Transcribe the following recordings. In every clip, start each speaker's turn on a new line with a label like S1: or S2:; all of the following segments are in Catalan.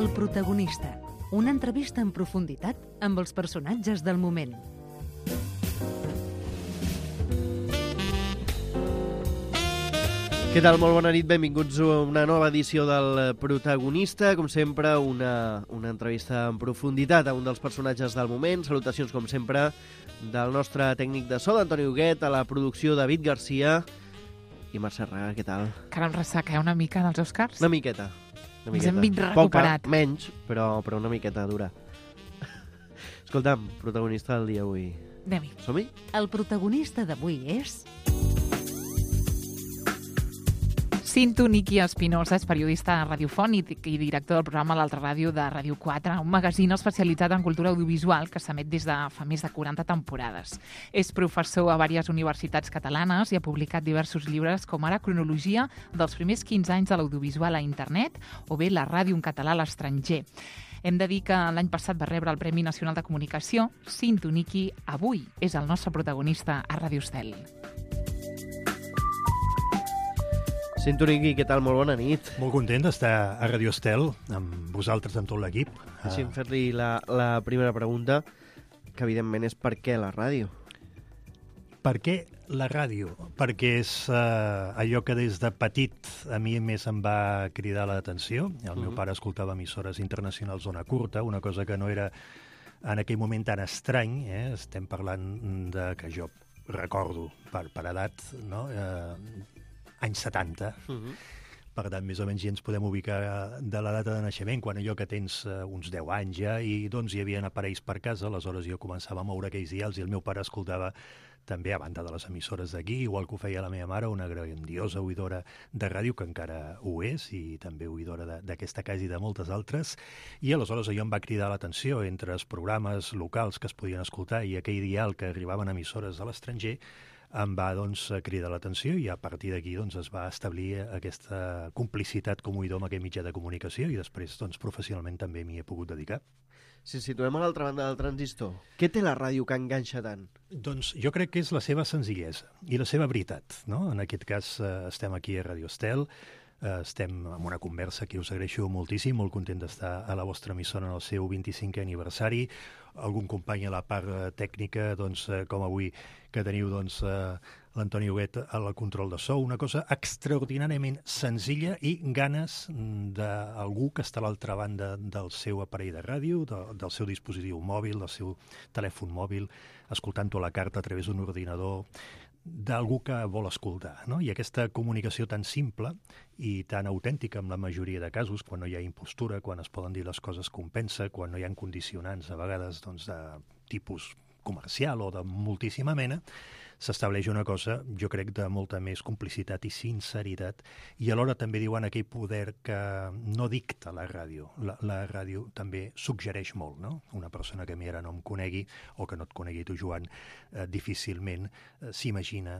S1: El protagonista, una entrevista en profunditat amb els personatges del moment.
S2: Què tal? Molt bona nit, benvinguts a una nova edició del Protagonista. Com sempre, una entrevista en profunditat a un dels personatges del moment. Salutacions, com sempre, del nostre tècnic de so, Antoni Huguet, a la producció David Garcia i Mercè Raga. Què tal?
S3: Cara amb ressaca, una mica dels Oscars?
S2: Una miqueta.
S3: Ens hem vist recuperat.
S2: Poca, menys, però una miqueta dura. Escolta'm, protagonista del dia avui.
S3: Anem-hi.
S2: Som-hi?
S1: El protagonista d'avui és...
S3: Cinto Niki Espinosa és periodista radiofònic i director del programa L'Altra Ràdio de Ràdio 4, un magazín especialitzat en cultura audiovisual que s'emet des de fa més de 40 temporades. És professor a diverses universitats catalanes i ha publicat diversos llibres com ara Cronologia dels primers 15 anys de l'audiovisual a internet o bé La ràdio en català a l'estranger. Hem de dir que l'any passat va rebre el Premi Nacional de Comunicació. Cinto Niki avui és el nostre protagonista a Ràdio Estel.
S2: Cinto Niki, què tal? Molt bona nit.
S4: Molt content d'estar a Radio Estel amb vosaltres, amb tot l'equip.
S2: Deixi'm fer-li la primera pregunta, que evidentment és per què la ràdio?
S4: Per què la ràdio? Perquè és allò que des de petit a mi més em va cridar l'atenció. El meu pare escoltava emissores internacionals d'ona curta, una cosa que no era en aquell moment tan estrany. Estem parlant de que jo recordo per edat, no? Anys 70. Per tant, més o menys ja ens podem ubicar de la data de naixement, quan allò que tens uns 10 anys ja, i doncs hi havia aparells per casa, aleshores jo començava a moure aquells dials i el meu pare escoltava també, a banda de les emissores d'aquí, igual que ho feia la meva mare, una grandiosa oïdora de ràdio, que encara ho és, i també oïdora d'aquesta casa i de moltes altres, i aleshores allò em va cridar l'atenció entre els programes locals que es podien escoltar i aquell dial que arribaven a emissores de l'estranger. Em va cridar l'atenció i a partir d'aquí es va establir aquesta complicitat com oïdor amb aquest mitjà de comunicació i després professionalment també m'hi he pogut dedicar.
S2: Si ens situem a l'altra banda del transistor, què té la ràdio que enganxa tant?
S4: Doncs jo crec que és la seva senzillesa i la seva veritat, no? En aquest cas estem aquí a Radio Estel, estem en una conversa que us agraeixo moltíssim, molt content d'estar a la vostra emissora en el seu 25è aniversari. Algun company a la part tècnica, com avui que teniu l'Antoni Huguet al control de so, una cosa extraordinàriament senzilla i ganes d'algú que està a l'altra banda del seu aparell de ràdio, del seu dispositiu mòbil, del seu telèfon mòbil, escoltant-ho a la carta a través d'un ordinador, d'algú que vol escoltar, no? I aquesta comunicació tan simple i tan autèntica en la majoria de casos, quan no hi ha impostura, quan es poden dir les coses com pensa, quan no hi ha condicionants a vegades de tipus comercial o de moltíssima mena, s'estableix una cosa, jo crec, de molta més complicitat i sinceritat, i alhora també diuen aquell poder que no dicta la ràdio. La ràdio també suggereix molt, no? Una persona que a mi ara no em conegui, o que no et conegui tu, Joan, difícilment s'imagina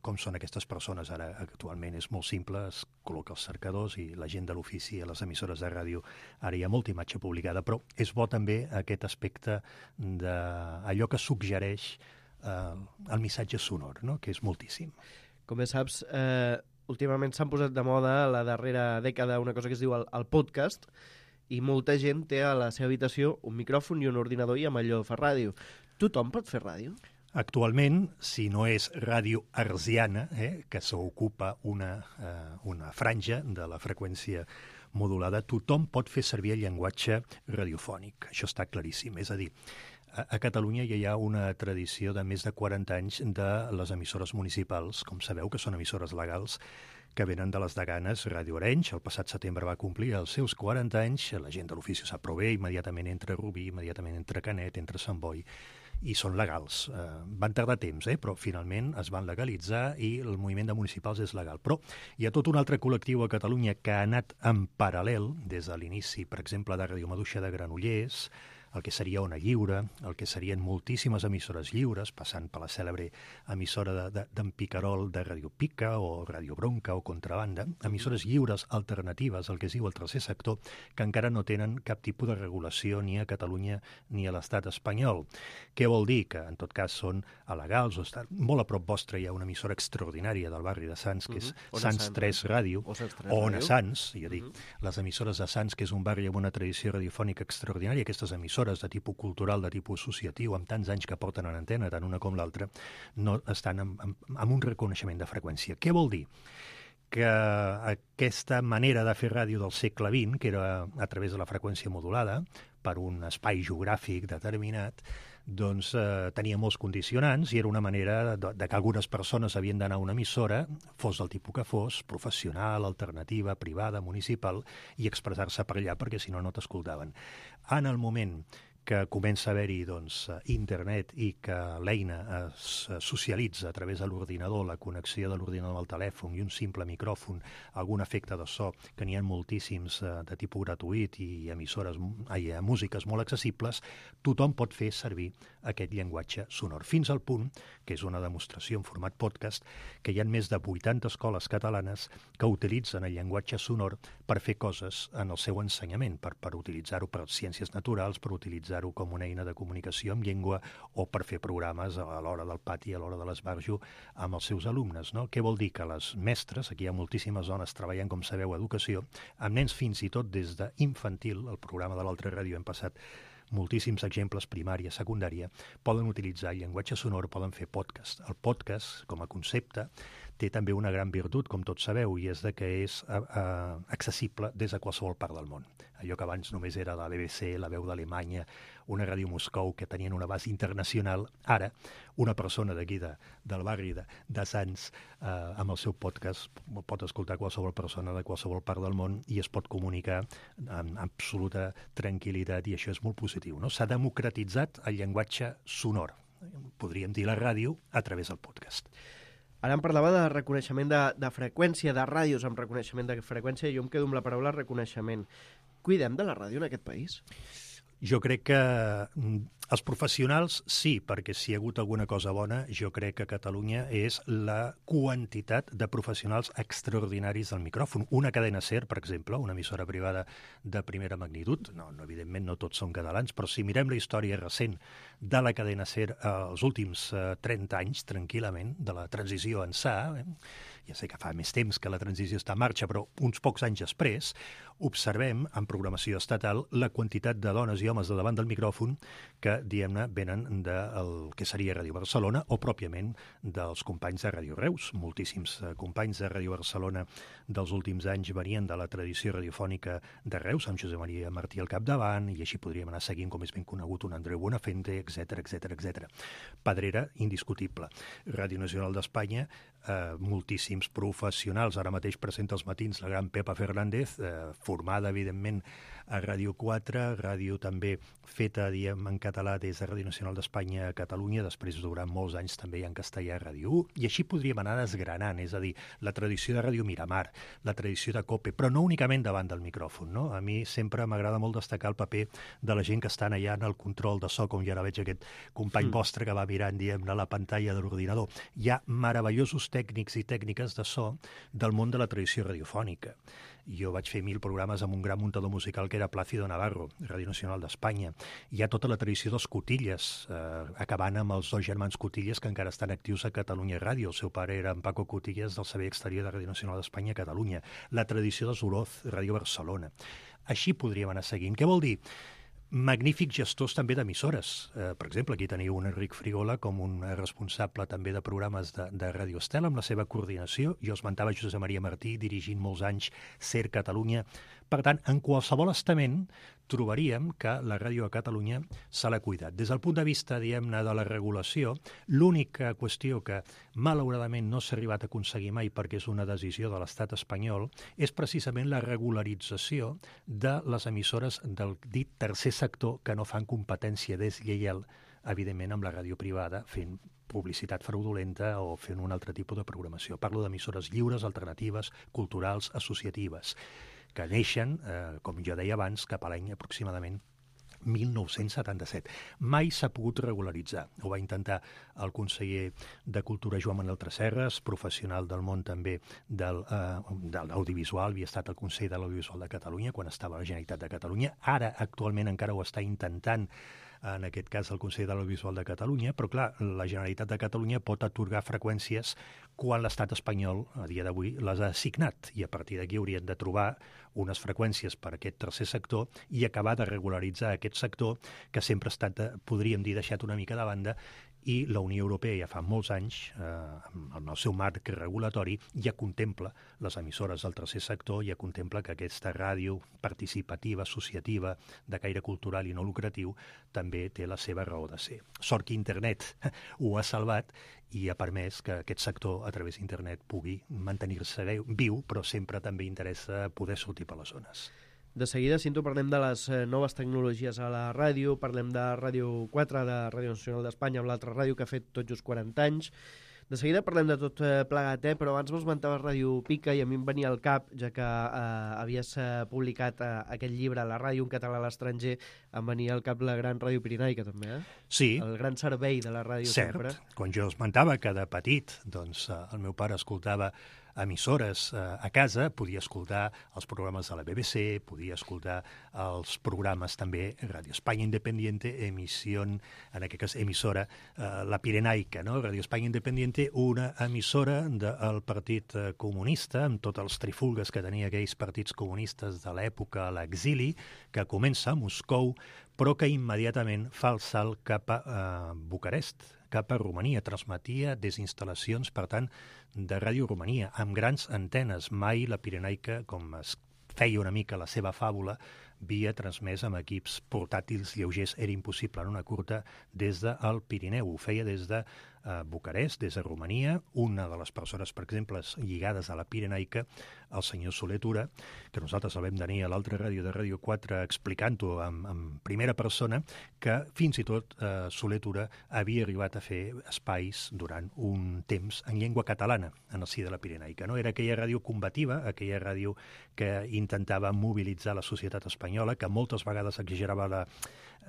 S4: com són aquestes persones. Ara actualment és molt simple, es col·loca els cercadors i la gent de l'ofici a les emissores de ràdio, ara hi ha molta imatge publicada, però és bo també aquest aspecte d'allò que suggereix el missatge sonor, no? Que és moltíssim.
S2: Com bé saps, últimament s'han posat de moda a la darrera dècada una cosa que es diu el podcast, i molta gent té a la seva habitació un micròfon i un ordinador i amb allò fa ràdio. Tothom pot fer ràdio?
S4: Actualment, si no és ràdio hertziana, que s'ocupa una franja de la freqüència modulada, tothom pot fer servir el llenguatge radiofònic. Això està claríssim. És a dir, a Catalunya ja hi ha una tradició de més de 40 anys de les emissores municipals, com sabeu, que són emissores legals, que venen de les Daganes. Ràdio Arenys, el passat setembre va complir els seus 40 anys, la gent de l'ofici sap prou bé, immediatament entra Rubí, immediatament entra Canet, entra Sant Boi, i són legals. Van tardar temps, però finalment es van legalitzar i el moviment de municipals és legal. Però hi ha tot un altre col·lectiu a Catalunya que ha anat en paral·lel des de l'inici, per exemple, de Ràdio Maduixa de Granollers, el que seria Ona Lliure, el que serien moltíssimes emissores lliures, passant per la cèlebre emissora d'en Picarol de Radio Pica o Radio Bronca o Contrabanda, emissores lliures alternatives, el que es diu el tercer sector, que encara no tenen cap tipus de regulació ni a Catalunya ni a l'estat espanyol. Què vol dir? Que en tot cas són alegals o estan molt a prop vostre. Hi ha una emissora extraordinària del barri de Sants, que és Sants 3 Ràdio, o Ona Sants, ja dic, les emissores de Sants, que és un barri amb una tradició radiofònica extraordinària. Aquestes emissores de tipus cultural, de tipus associatiu, amb tants anys que porten en antena, tant una com l'altra, no estan amb un reconeixement de freqüència. Què vol dir? Que aquesta manera de fer ràdio del segle XX, que era a través de la freqüència modulada, per un espai geogràfic determinat, doncs tenia molts condicionants i era una manera de que algunes persones havien d'anar a una emissora, fos del tipus que fos, professional, alternativa, privada, municipal, i expressar-se per allà, perquè si no, no t'escoltaven. En el moment que comença a haver-hi internet i que l'eina es socialitza a través de l'ordinador, la connexió de l'ordinador al telèfon i un simple micròfon, algun efecte de so, que n'hi ha moltíssims de tipus gratuït i músiques molt accessibles, tothom pot fer servir aquest llenguatge sonor. Fins al punt, que és una demostració en format podcast, que hi ha més de 80 escoles catalanes que utilitzen el llenguatge sonor per fer coses en el seu ensenyament, per utilitzar-ho per ciències naturals, per utilitzar-ho com una eina de comunicació amb llengua o per fer programes a l'hora del pati, a l'hora de l'esbarjo, amb els seus alumnes. No? Què vol dir? Que les mestres, aquí hi ha moltíssimes dones treballant, com sabeu, educació, amb nens fins i tot des d'infantil, el programa de l'altra ràdio hem passat moltíssims exemples, primària, secundària, poden utilitzar el llenguatge sonor, poden fer podcast. El podcast, com a concepte, té també una gran virtut, com tots sabeu, i és que és accessible des de qualsevol part del món. Allò que abans només era la BBC, la Veu d'Alemanya, una ràdio Moscou, que tenien una base internacional, ara una persona d'aquí, del barri de Sants, amb el seu podcast, pot escoltar qualsevol persona de qualsevol part del món i es pot comunicar amb absoluta tranquil·litat, i això és molt positiu. No? S'ha democratitzat el llenguatge sonor, podríem dir la ràdio, a través del podcast.
S2: Ara em parlava de reconeixement de freqüència, de ràdios amb reconeixement de freqüència, i jo em quedo amb la paraula reconeixement. Cuidem de la ràdio en aquest país?
S4: Jo crec que els professionals sí, perquè si hi ha hagut alguna cosa bona, jo crec que a Catalunya és la quantitat de professionals extraordinaris del micròfon. Una cadena SER, per exemple, una emissora privada de primera magnitud, no, evidentment no tots són catalans, però si mirem la història recent de la cadena SER els últims 30 anys, tranquil·lament, de la transició ençà, ja sé que fa més temps que la transició està en marxa, però uns pocs anys després, observem en programació estatal la quantitat de dones i homes de davant del micròfon que, diguem-ne, venen del que seria Ràdio Barcelona o pròpiament dels companys de Ràdio Reus. Moltíssims companys de Ràdio Barcelona dels últims anys venien de la tradició radiofònica de Reus, amb Josep Maria Martí al capdavant, i així podríem anar seguint, com és ben conegut, un Andreu Buenafuente, etc. Pedrera, indiscutible. Ràdio Nacional d'Espanya, moltíssims professionals. Ara mateix presenta els matins la gran Pepa Fernández, formada, evidentment, a Ràdio 4, ràdio també feta, diem, en català des de Ràdio Nacional d'Espanya a Catalunya, després durant molts anys també en castellà a Ràdio 1, i així podríem anar desgranant, és a dir, la tradició de Ràdio Miramar, la tradició de COPE, però no únicament davant del micròfon, no? A mi sempre m'agrada molt destacar el paper de la gent que estan allà en el control de so, com ja ara veig aquest company vostre que va mirant, diguem-ne, la pantalla de l'ordinador. Hi ha meravellosos tècnics i tècniques de so del món de la tradició radiofònica. Jo vaig fer 1000 programes amb un gran muntador musical que era Plácido Navarro, Ràdio Nacional d'Espanya. Hi ha tota la tradició dels Cotilles, acabant amb els dos germans Cotilles que encara estan actius a Catalunya Ràdio. El seu pare era en Paco Cotilles del Servei Exterior de Ràdio Nacional d'Espanya a Catalunya. La tradició dels Oroz, Ràdio Barcelona. Així podríem anar seguint. Què vol dir? Magnífics gestors també d'emissores. Per exemple, aquí teniu un Enric Frigola com un responsable també de programes de Ràdio Estel amb la seva coordinació. Jo esmentava Josep Maria Martí, dirigint molts anys SER Catalunya. Per tant, en qualsevol estament trobaríem que la ràdio a Catalunya se l'ha cuidat. Des del punt de vista, diguem-ne, de la regulació, l'única qüestió que malauradament no s'ha arribat a aconseguir mai perquè és una decisió de l'estat espanyol és precisament la regularització de les emissores del dit tercer sector que no fan competència deslleial, evidentment, amb la ràdio privada, fent publicitat fraudulenta o fent un altre tipus de programació. Parlo d'emissores lliures, alternatives, culturals, associatives, que neixen, com jo deia abans, cap a l'any aproximadament 1977. Mai s'ha pogut regularitzar. Ho va intentar el conseller de Cultura Joan Manuel Tresserras, professional del món també de l'audiovisual, havia estat el Consell de l'Audiovisual de Catalunya quan estava a la Generalitat de Catalunya. Ara, actualment, encara ho està intentant, en aquest cas el Consell de l'Audiovisual de Catalunya, però clar, la Generalitat de Catalunya pot atorgar freqüències quan l'estat espanyol, a dia d'avui, les ha assignat, i a partir d'aquí haurien de trobar unes freqüències per a aquest tercer sector i acabar de regularitzar aquest sector que sempre ha estat, podríem dir, deixat una mica de banda, i la Unió Europea ja fa molts anys, amb el seu marc regulatori, ja contempla les emissores del tercer sector, ja contempla que aquesta ràdio participativa, associativa, de caire cultural i no lucratiu, també té la seva raó de ser. Sort que internet ho ha salvat i ha permès que aquest sector, a través d'internet, pugui mantenir-se viu, però sempre també interessa poder sortir per les zones.
S2: De seguida, Cinto, parlem de les noves tecnologies a la ràdio, parlem de Ràdio 4, de Ràdio Nacional d'Espanya, amb l'altra ràdio que ha fet tot just 40 anys. De seguida parlem de tot plegat, però abans m'esmentaves Ràdio Pica i a mi em venia al cap, ja que havies publicat aquest llibre, La ràdio en català a l'estranger, em venia al cap la gran Ràdio Pirinaica, també,
S4: Sí.
S2: El gran servei de la ràdio sempre.
S4: Cert. Quan jo esmentava que de petit doncs, el meu pare escoltava emissores a casa, podia escoltar els programes de la BBC, podia escoltar els programes també Ràdio Espanya Independiente, emissió, en aquest cas emissora, la Pirenaica, no? Ràdio Espanya Independiente, una emissora del Partit Comunista, amb tots els trifulgues que tenia aquells partits comunistes de l'època a l'exili, que comença a Moscou, però que immediatament fa el salt cap a Bucarest, cap a Romania. Transmetia des d'instal·lacions, per tant, de Ràdio Romania, amb grans antenes. Mai la Pirenaica, com es feia una mica la seva fàbula, havia transmès amb equips portàtils lleugers. Era impossible en una curta des del Pirineu. Ho feia des de Bucarest, des de Romania. Una de les persones, per exemple, lligades a la Pirenaica, el senyor Soler Tura, que nosaltres el vam tenir a l'altra ràdio de Ràdio 4 explicant-ho en primera persona, que fins i tot Soler Tura havia arribat a fer espais durant un temps en llengua catalana en el si de la Pirenaica. No? Era aquella ràdio combativa, aquella ràdio que intentava mobilitzar la societat espanyola, que moltes vegades exagerava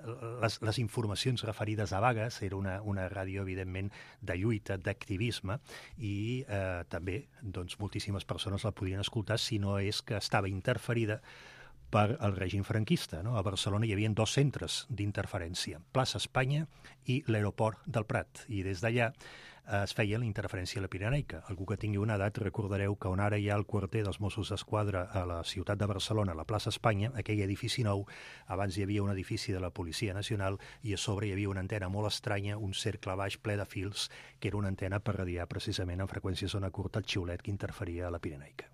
S4: les informacions referides a vagues. Era una ràdio, evidentment, de lluita, d'activisme, i també doncs, moltíssimes persones la podien escoltar, si no és que estava interferida per el règim franquista. No? A Barcelona hi havia 2 centres d'interferència, Plaça Espanya i l'Aeroport del Prat, i des d'allà es feia la interferència a la Pirenaica. Algú que tingui una edat, recordareu que on ara hi ha el quarter dels Mossos d'Esquadra a la ciutat de Barcelona, a la plaça Espanya, aquell edifici nou, abans hi havia un edifici de la Policia Nacional i a sobre hi havia una antena molt estranya, un cercle baix ple de fils, que era una antena per radiar precisament en freqüència zona curta el xiulet que interferia a la Pirenaica.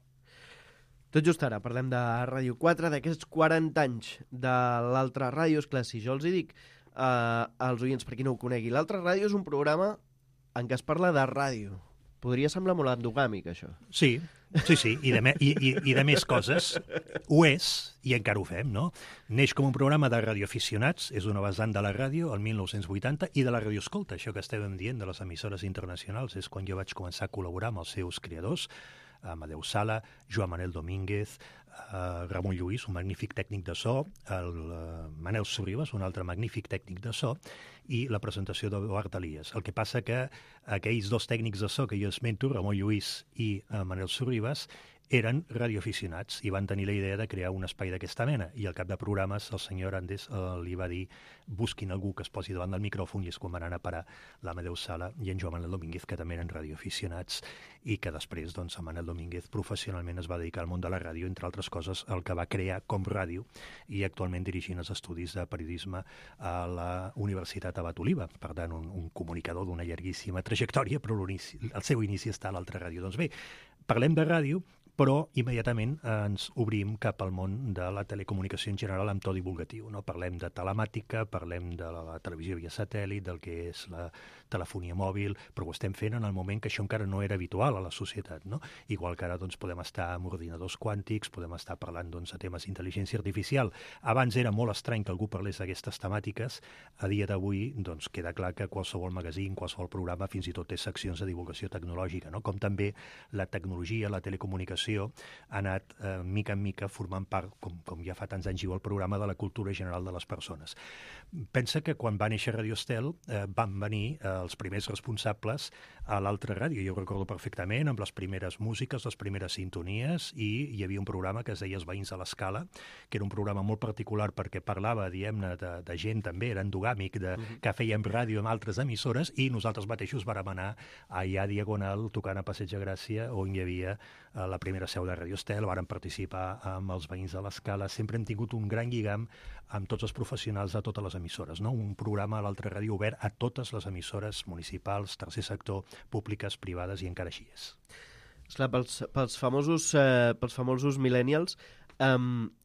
S2: Tot just ara parlem de Ràdio 4, d'aquests 40 anys de l'altra ràdio. Esclar, si jo els hi dic als oients, per qui no ho conegui, l'altra ràdio és un programa en què es parla de ràdio. Podria semblar molt endogàmic, això.
S4: Sí, i de més coses. Ho és, i encara ho fem, no? Neix com un programa de radioaficionats, és una vessant de la ràdio, el 1980, i de la radioescolta. Això que estàvem dient de les emissores internacionals és quan jo vaig començar a col·laborar amb els seus creadors, Amadeu Sala, Joan Manel Domínguez, Ramon Lluís, un magnífic tècnic de so, el Manel Sorribas, un altre magnífic tècnic de so, i la presentació d'Eduard Elias. El que passa que aquells 2 tècnics de so que jo esmento, Ramon Lluís i Manel Sorribas, eren radioaficionats i van tenir la idea de crear un espai d'aquesta mena, i al cap de programes el senyor Andes li va dir busquin algú que es posi davant del micròfon, i és quan van anar a parar l'Amadeu Sala i en Joan Manel Domínguez, que també eren radioaficionats, i que després doncs, en Manel Domínguez professionalment es va dedicar al món de la ràdio, entre altres coses el que va crear com ràdio, i actualment dirigint els estudis de periodisme a la Universitat Abat Oliva. Per tant, un comunicador d'una llarguíssima trajectòria, però el seu inici està a l'altra ràdio. Doncs bé, parlem de ràdio, però immediatament ens obrim cap al món de la telecomunicació en general amb to divulgatiu. No? Parlem de telemàtica, parlem de la televisió via satèl·lit, del que és la telefonia mòbil, però ho estem fent en el moment que això encara no era habitual a la societat. No? Igual que ara doncs, podem estar amb ordinadors quàntics, podem estar parlant doncs, de temes d'intel·ligència artificial. Abans era molt estrany que algú parlés d'aquestes temàtiques. A dia d'avui doncs, queda clar que qualsevol magazín, qualsevol programa, fins i tot té seccions de divulgació tecnològica, no? Com també la tecnologia, la telecomunicació difusió ha anat mica en mica formant part, com ja fa tants anys diu el programa, de la cultura general de les persones. Pensa que quan va néixer Radio Estel van venir els primers responsables a l'altra ràdio, jo ho recordo perfectament, amb les primeres músiques, les primeres sintonies, i hi havia un programa que es deia Els veïns de l'Escala, que era un programa molt particular perquè parlava, diguem-ne, de gent també, era endogàmic, que fèiem ràdio amb altres emissores, i nosaltres mateixos vàrem anar allà a Diagonal, tocant a Passeig de Gràcia, on hi havia la primera seu de Radio Estel, vàrem participar amb els veïns de l'Escala, sempre hem tingut un gran lligam amb tots els professionals de totes les emissores, no? Un programa a l'altra ràdio obert a totes les emissores municipals, tercer sector, públiques, privades, i encara així és.
S2: Esclar, pels famosos millennials,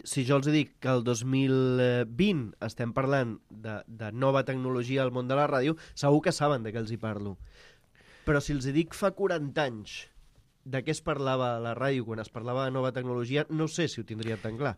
S2: si jo els dic que el 2020 estem parlant de nova tecnologia al món de la ràdio, segur que saben de què els hi parlo. Però si els dic fa 40 anys de què es parlava a la ràdio quan es parlava de nova tecnologia, no sé si ho tindria tan clar.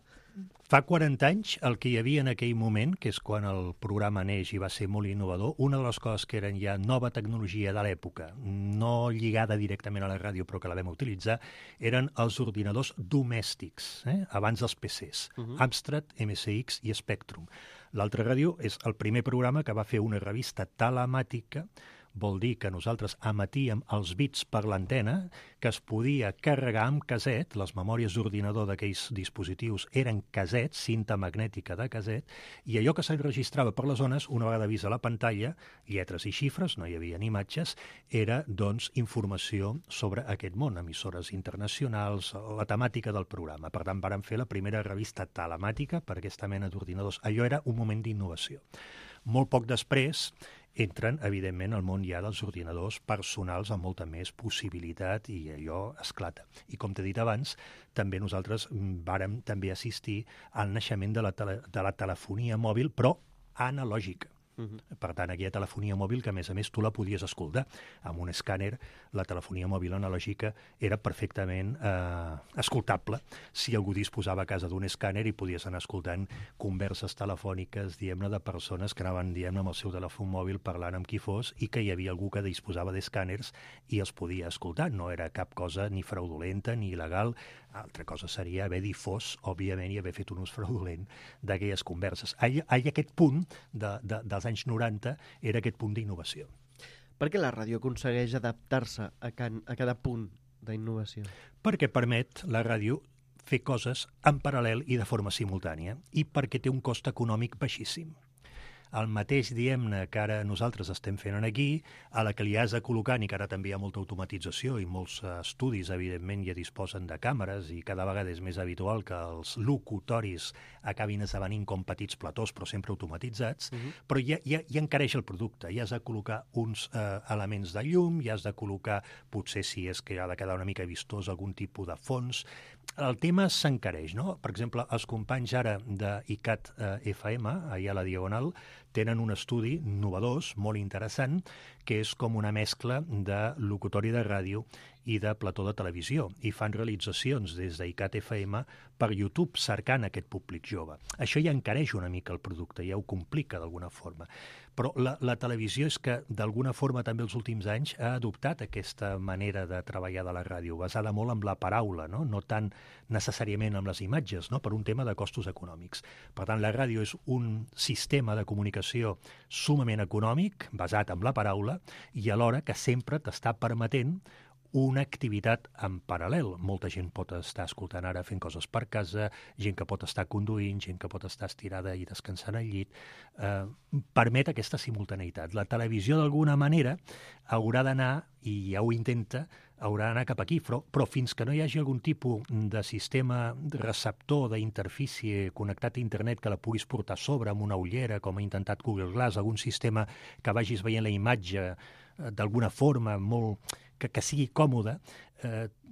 S4: Fa 40 anys, el que hi havia en aquell moment, que és quan el programa neix i va ser molt innovador, una de les coses que eren ja nova tecnologia de l'època, no lligada directament a la ràdio, però que la vam utilitzar, eren els ordinadors domèstics, abans dels PCs, Amstrad, MSX i Spectrum. L'altra ràdio és el primer programa que va fer una revista telemàtica, vol dir que nosaltres emetíem els bits per l'antena, que es podia carregar amb caset, les memòries d'ordinador d'aquells dispositius eren casets, cinta magnètica de caset, i allò que s'enregistrava per les zones, una vegada vist a la pantalla, lletres i xifres, no hi havia ni imatges, era, doncs, informació sobre aquest món, emissores internacionals, la temàtica del programa. Per tant, vàrem fer la primera revista telemàtica per aquesta mena d'ordinadors. Allò era un moment d'innovació. Molt poc després entren, evidentment, al món ja dels ordinadors personals amb molta més possibilitat, i allò esclata. I com t'he dit abans, també nosaltres vàrem també assistir al naixement de la telefonia mòbil, però analògica. Per tant, aquella telefonia mòbil que, a més, tu la podies escoltar. Amb un escàner, la telefonia mòbil analògica era perfectament escoltable. Si algú disposava a casa d'un escàner, i podies anar escoltant converses telefòniques, diguem-ne, de persones que anaven, diguem-ne, amb el seu telèfon mòbil parlant amb qui fos, i que hi havia algú que disposava d'escàners i els podia escoltar. No era cap cosa ni fraudulenta ni il·legal. Altra cosa seria haver difós, òbviament, i haver fet un ús fraudulent d'aquelles converses. Aquest punt dels anys 90 era aquest punt d'innovació.
S2: Per què la ràdio aconsegueix adaptar-se a cada punt d'innovació?
S4: Perquè permet la ràdio fer coses en paral·lel i de forma simultània, i perquè té un cost econòmic baixíssim. El mateix, diguem-ne, que ara nosaltres estem fent aquí, a la que li has de col·locar, i que ara també hi ha molta automatització i molts estudis, evidentment, ja disposen de càmeres, i cada vegada és més habitual que els locutoris acabin esdevenint com petits platós, però sempre automatitzats, però ja encareix el producte. Ja has de col·locar uns elements de llum, ja has de col·locar, potser si és que ha de quedar una mica vistós, algun tipus de fons. El tema s'encareix, no? Per exemple, els companys ara d'ICAT FM, allà a la Diagonal, tenen un estudi innovador, molt interessant, que és com una mescla de locutori de ràdio i de plató de televisió, i fan realitzacions des d'ICAT FM per YouTube, cercant aquest públic jove. Això ja encareix una mica el producte, ja ho complica d'alguna forma. Però la televisió és que, d'alguna forma, també els últims anys ha adoptat aquesta manera de treballar de la ràdio, basada molt en la paraula, no tant necessàriament amb les imatges, no? Per un tema de costos econòmics. Per tant, la ràdio és un sistema de comunicació sumament econòmic, basat en la paraula, i alhora que sempre t'està permetent una activitat en paral·lel. Molta gent pot estar escoltant ara fent coses per casa, gent que pot estar conduint, gent que pot estar estirada i descansant al llit. Permet aquesta simultaneïtat. La televisió, d'alguna manera, haurà d'anar, i ja ho intenta, haurà d'anar cap aquí, però fins que no hi hagi algun tipus de sistema receptor d'interfície connectat a internet que la puguis portar a sobre amb una ullera, com ha intentat Google Glass, algun sistema que vagis veient la imatge d'alguna forma molt que sigui còmode,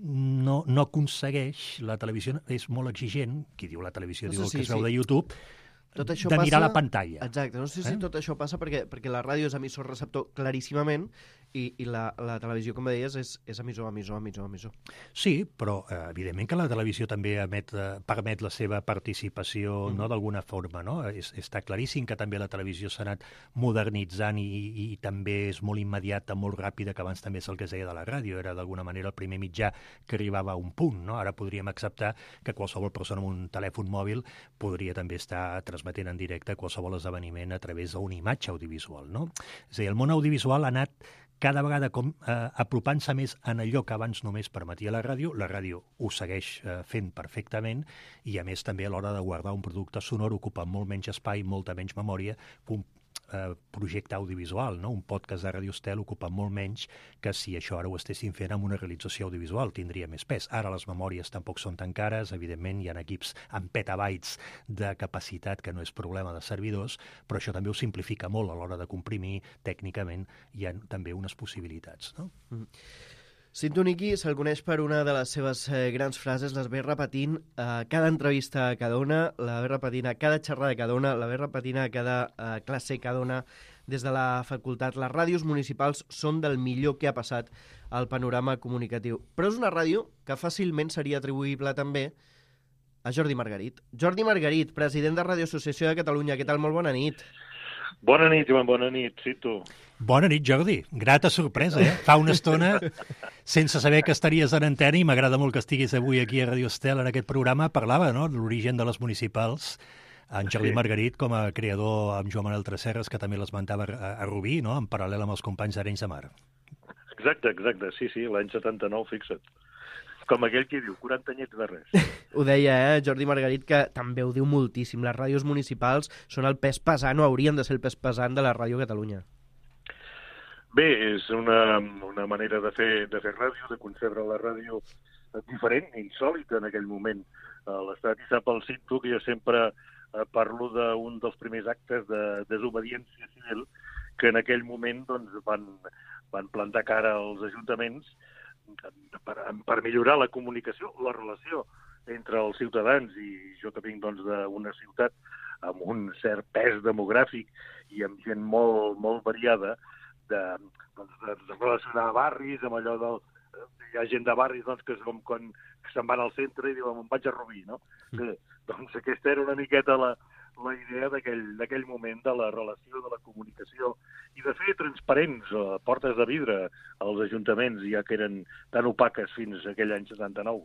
S4: no aconsegueix. La televisió és molt exigent, qui diu la televisió diu el que es veu de YouTube, de mirar la pantalla.
S2: Exacte, no sé si tot això passa perquè la ràdio és emissor-receptor claríssimament, i la televisió, com deies, és emissor.
S4: Sí, però evidentment que la televisió també permet la seva participació, no, d'alguna forma, no? Està claríssim que també la televisió s'ha anat modernitzant i també és molt immediata, molt ràpida, que abans també és el que es deia de la ràdio, era d'alguna manera el primer mitjà que arribava a un punt, no? Ara podríem acceptar que qualsevol persona amb un telèfon mòbil podria també estar transmetent en directe qualsevol esdeveniment a través d'una imatge audiovisual, no? És a dir, el món audiovisual ha anat cada vegada apropant-se més en allò que abans només permetia la ràdio ho segueix fent perfectament i, a més, també a l'hora de guardar un producte sonor ocupa molt menys espai, molta menys memòria que un projecte audiovisual, no? Un podcast de Radio Estel ocupa molt menys que si això ara ho estessin fent amb una realització audiovisual, tindria més pes. Ara les memòries tampoc són tan cares, evidentment hi ha equips amb petabytes de capacitat que no és problema de servidors, però això també ho simplifica molt a l'hora de comprimir. Tècnicament hi ha també unes possibilitats, no?
S2: Cinto Niqui se'l coneix per una de les seves grans frases, les ve repetint a cada entrevista que dona, la ve repetint a cada xerrada que dona, la ve repetint a cada classe que dona des de la facultat. Les ràdios municipals són del millor que ha passat al panorama comunicatiu. Però és una ràdio que fàcilment seria atribuïble també a Jordi Margarit. Jordi Margarit, president de Radio Associació de Catalunya. Què tal? Molt bona nit.
S5: Bona nit, Joan, bona nit, Cinto.
S4: Bona nit, Jordi. Grata sorpresa, Fa una estona, sense saber que estaries en antena, i m'agrada molt que estiguis avui aquí a Radio Estel en aquest programa, parlava, no?, de l'origen de les municipals, en Jordi Margarit com a creador amb Joan Manuel Tresserras, que també l'esmentava a Rubí, no?, en paral·lel amb els companys d'Arenys de Mar.
S5: Exacte, sí, l'any 79, fixa't. Com aquell que diu, 40 anyets de res.
S2: Ho deia, Jordi Margarit, que també ho diu moltíssim. Les ràdios municipals són el pes pesant, o haurien de ser el pes pesant de la ràdio a Catalunya.
S5: Bé, és una manera de fer ràdio, de concebre la ràdio diferent, insòlita en aquell moment. L'Estat hi sap el Cinto que jo sempre parlo d'un dels primers actes de desobediència civil que en aquell moment doncs, van plantar cara als ajuntaments per millorar la comunicació, la relació entre els ciutadans, i jo que vinc doncs, d'una ciutat amb un cert pes demogràfic i amb gent molt, molt variada, de relacionar barris, amb allò del... Hi ha gent de barris doncs, que és com quan se'n van al centre i diuen, em vaig a Rubí, no? Doncs aquesta era una miqueta la idea d'aquell moment de la relació, de la comunicació, i de fer transparents portes de vidre als ajuntaments, ja que eren tan opaques fins a aquell any 79.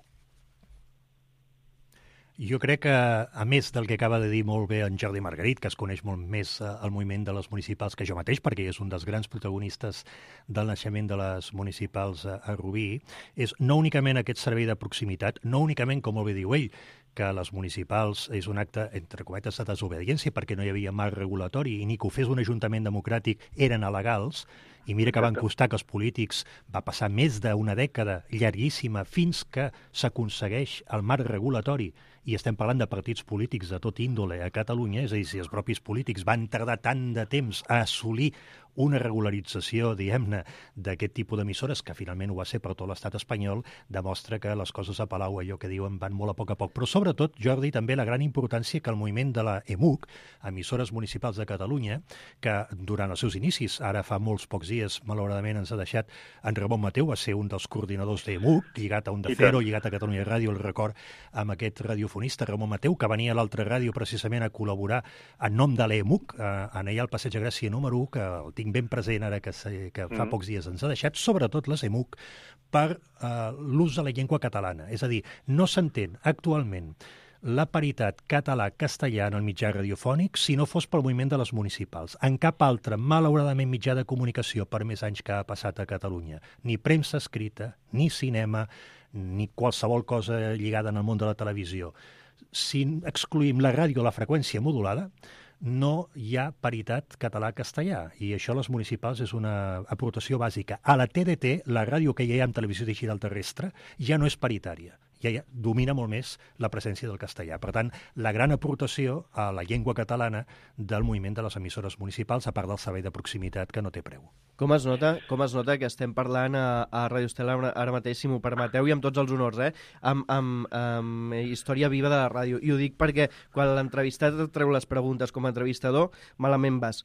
S4: Jo crec que, a més del que acaba de dir molt bé en Jordi Margarit, que es coneix molt més el moviment de les municipals que jo mateix, perquè és un dels grans protagonistes del naixement de les municipals a Rubí, és no únicament aquest servei de proximitat, no únicament, com molt bé diu ell, que les municipals és un acte, entre cometes, de desobediència, perquè no hi havia marc regulatori i ni que ho fes un ajuntament democràtic eren alegals, i mira que van costar que els polítics, va passar més d'una dècada llarguíssima fins que s'aconsegueix el marc regulatori, i estem parlant de partits polítics de tot índole a Catalunya, és a dir, si els propis polítics van tardar tant de temps a assolir una regularització, diguem-ne, d'aquest tipus d'emissores, que finalment ho va ser per tot l'estat espanyol, demostra que les coses a Palau, allò que diuen, van molt a poc. Però sobretot, Jordi, també la gran importància que el moviment de la EMUC, emissores municipals de Catalunya, que durant els seus inicis, ara fa molts pocs dies, malauradament ens ha deixat en Ramon Mateu, va ser un dels coordinadors d'EMUC, lligat a Onda Cero, lligat a Catalunya Ràdio, el record amb aquest radiofonista Ramon Mateu, que venia a l'altra ràdio precisament a col·laborar en nom de l'EMUC, en allà al Passeig de Gràcia número 1, que el tinc ben present ara que fa pocs dies ens ha deixat, sobretot les EMUC, per l'ús de la llengua catalana. És a dir, no s'entén actualment la paritat català-castellà en el mitjà radiofònic si no fos pel moviment de les municipals. En cap altre, malauradament, mitjà de comunicació per més anys que ha passat a Catalunya. Ni premsa escrita, ni cinema, ni qualsevol cosa lligada en el món de la televisió. Si excluïm la ràdio a la freqüència modulada, no hi ha paritat català-castellà, i això a les municipals és una aportació bàsica. A la TDT, la ràdio que hi ha en televisió digital terrestre, ja no és paritària, ja domina molt més la presència del castellà. Per tant, la gran aportació a la llengua catalana del moviment de les emissores municipals, a part del servei de proximitat que no té preu.
S2: Com es nota que estem parlant a Radio Estel ara mateix, si m'ho permeteu, i amb tots els honors, amb història viva de la ràdio. I ho dic perquè quan l'entrevistat treu les preguntes com a entrevistador, malament vas.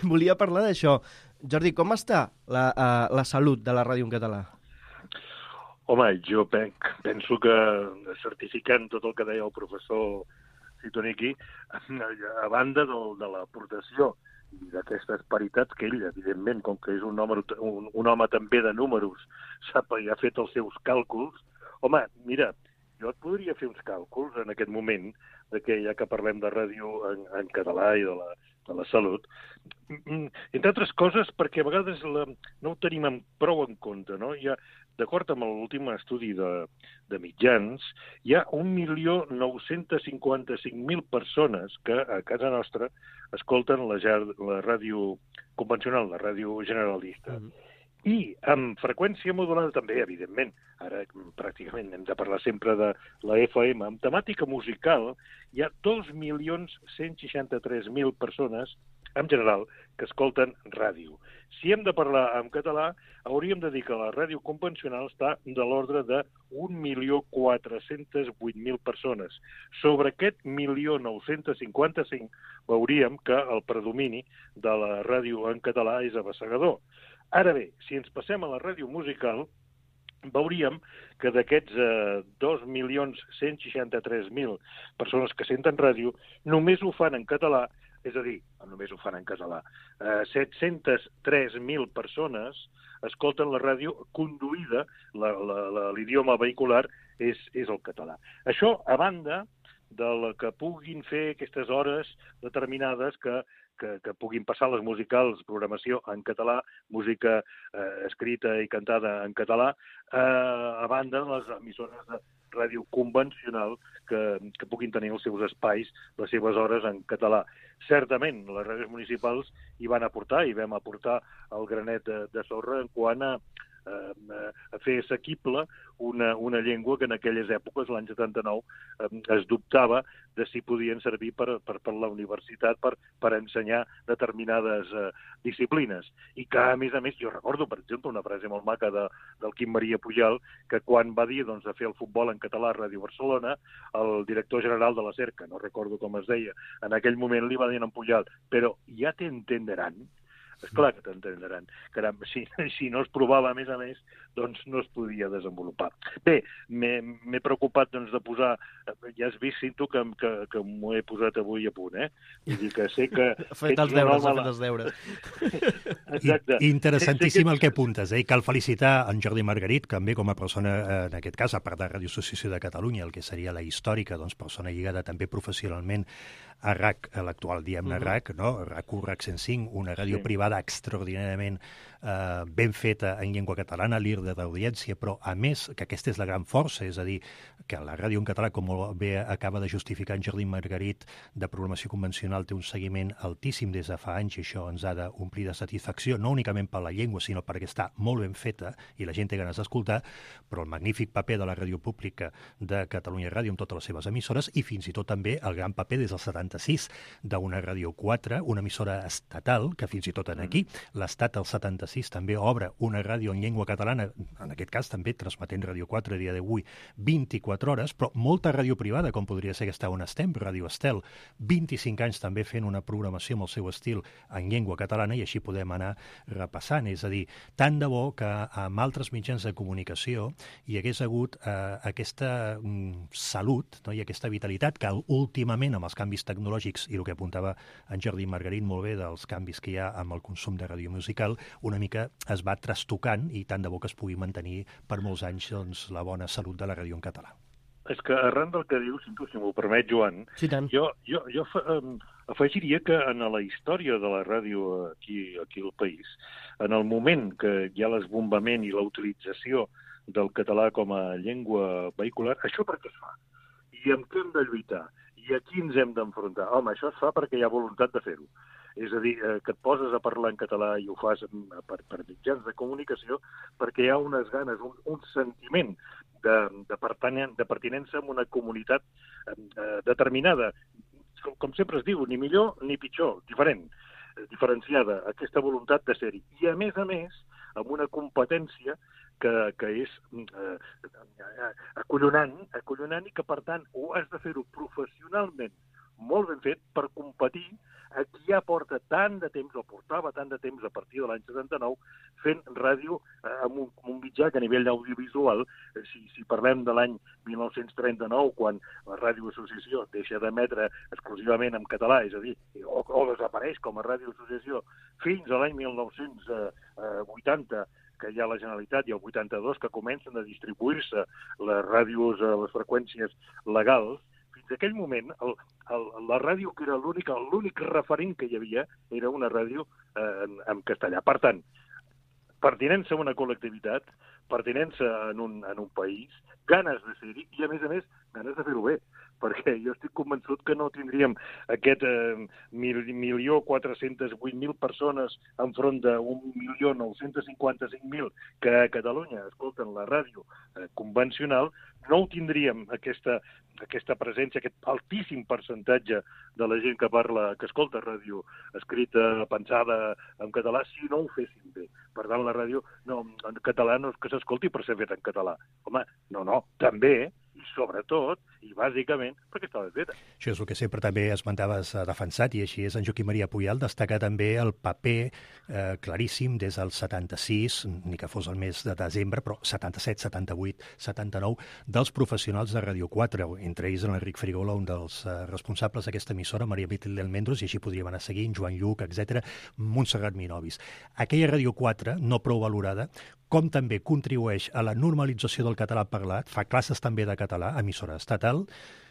S2: Volia parlar d'això. Jordi, com està la salut de la ràdio en català?
S5: Home, jo penso que, certificant tot el que deia el professor Citoniqui, a banda de l'aportació i d'aquestes paritats que ell, evidentment, com que és un home també de números, sap i ha fet els seus càlculs, home, mira, jo et podria fer uns càlculs en aquest moment, que ja que parlem de ràdio en català i de la salut, entre altres coses perquè a vegades no ho tenim prou en compte, no? D'acord amb l'últim estudi de mitjans, hi ha 1.955.000 persones que a casa nostra escolten la ràdio convencional, la ràdio generalista. I amb freqüència modulada també, evidentment, ara pràcticament hem de parlar sempre de la FM, amb temàtica musical hi ha 2.163.000 persones, en general, que escolten ràdio. Si hem de parlar en català, hauríem de dir que la ràdio convencional està de l'ordre de 1.408.000 persones. Sobre aquest 1.955 veuríem que el predomini de la ràdio en català és abassegador. Ara bé, si ens passem a la ràdio musical, veuríem que d'aquests 2.163.000 persones que senten ràdio, només ho fan en català, és a dir, només ho fan en català, 703.000 persones escolten la ràdio conduïda, l'idioma vehicular és el català. Això, a banda de que puguin fer aquestes hores determinades que puguin passar les musicals, programació en català, música escrita i cantada en català, a banda de les emissores de ràdio convencional que puguin tenir els seus espais, les seves hores en català. Certament, les ràdios municipals hi van aportar, i vam aportar el granet de sorra en quant a fer assequible una llengua que en aquelles èpoques, l'any 79, es dubtava de si podien servir per la universitat per ensenyar determinades disciplines. I que, a més, jo recordo, per exemple, una frase molt maca del Quim Maria Pujal, que quan va dir de fer el futbol en català a Ràdio Barcelona, el director general de la Cerca, no recordo com es deia, en aquell moment li va dir a Pujal, però ja t'entenderan. És clar que t'entendran. Caram, si no es provava, a més, doncs no es podia desenvolupar. Bé, m'he preocupat de posar... Ja has vist, Cinto, que m'ho he posat avui a punt, eh? Vull dir que sé que...
S2: Ha fet els deures.
S4: Exacte. Interessantíssim el que apuntes, eh? I cal felicitar en Jordi Margarit, també com a persona, en aquest cas, a part de Ràdio Associació de Catalunya, el que seria la històrica, doncs, persona lligada també professionalment a RAC, a l'actual diem-ne RAC, no? RAC1, RAC 105, una ràdio privada extraordinàriament ben feta en llengua catalana, líder d'audiència, però a més que aquesta és la gran força, és a dir, que la ràdio en català, com bé acaba de justificar en Jordi Margarit, de programació convencional té un seguiment altíssim des de fa anys, i això ens ha d'omplir de satisfacció, no únicament per la llengua, sinó perquè està molt ben feta i la gent té ganes d'escoltar, però el magnífic paper de la ràdio pública de Catalunya Ràdio amb totes les seves emissores, i fins i tot també el gran paper des del 76 d'una Ràdio 4, una emissora estatal, que fins i tot aquí, l'Estat al 76 també obre una ràdio en llengua catalana, en aquest cas també transmetent Ràdio 4 a dia d'avui 24 hores, però molta ràdio privada, com podria ser aquesta on estem, Ràdio Estel, 25 anys també fent una programació amb el seu estil en llengua catalana, i així podem anar repassant. És a dir, tant de bo que amb altres mitjans de comunicació hi hagués hagut aquesta salut, no? I aquesta vitalitat que últimament amb els canvis tecnològics i el que apuntava en Jordi Margarit molt bé dels canvis que hi ha amb el consum de ràdio musical, una mica es va trastocant, i tant de bo que es pugui mantenir per molts anys doncs, la bona salut de la ràdio en català.
S5: És que arran del que dius, si m'ho permet, Joan,
S2: sí, tant.
S5: Jo afegiria que en la història de la ràdio aquí al país, en el moment que hi ha l'esbombament i la utilització del català com a llengua vehicular, això per què es fa? I amb què hem de lluitar? I a qui ens hem d'enfrontar? Home, això es fa perquè hi ha voluntat de fer-ho. És a dir, que et poses a parlar en català i ho fas per mitjans de comunicació perquè hi ha unes ganes, un sentiment de pertinença a una comunitat determinada. Com sempre es diu, ni millor ni pitjor, diferenciada, aquesta voluntat de ser-hi. I a més, amb una competència que és acollonant i que, per tant, ho has de fer-ho professionalment molt ben fet per competir Aquí ja porta tant de temps, o portava tant de temps a partir de l'any 79, fent ràdio amb un mitjà que a nivell audiovisual, si parlem de l'any 1939, quan la Ràdio Associació deixa d'emetre exclusivament en català, és a dir, o desapareix com a Ràdio Associació, fins a l'any 1980, que hi ha la Generalitat, i el 82, que comencen a distribuir-se les ràdios, les freqüències legals, fins aquell moment, la ràdio, que era l'únic referent que hi havia, era una ràdio en castellà. Per tant, pertinença a una col·lectivitat, pertinença en un país, ganes de ser-hi i, a més, ganes de fer-ho bé. Perquè jo estic convençut que no tindríem aquest 1.408.000 persones enfront de 1.955.000 que a Catalunya escolten la ràdio convencional, no ho tindríem, aquesta presència, aquest altíssim percentatge de la gent que escolta ràdio escrita, pensada en català, si no ho fessin bé. Per tant, la ràdio en català no és que s'escolti per ser feta en català. Home, no, també, i sobretot, i bàsicament, perquè estava feta.
S4: Això és el que sempre també esmentaves defensat, i així és en Joaquim Maria Puyal, destacar també el paper claríssim des del 76, ni que fos el mes de desembre, però 77, 78, 79, dels professionals de Ràdio 4, entre ells l'Enric Frigola, un dels responsables d'aquesta emissora, Maria Beatriz del Mendros, i així podríem anar seguint, Joan Lluc, etc., Montserrat Minovis. Aquella Ràdio 4, no prou valorada, com també contribueix a la normalització del català parlat, fa classes també de català, emissora estatal,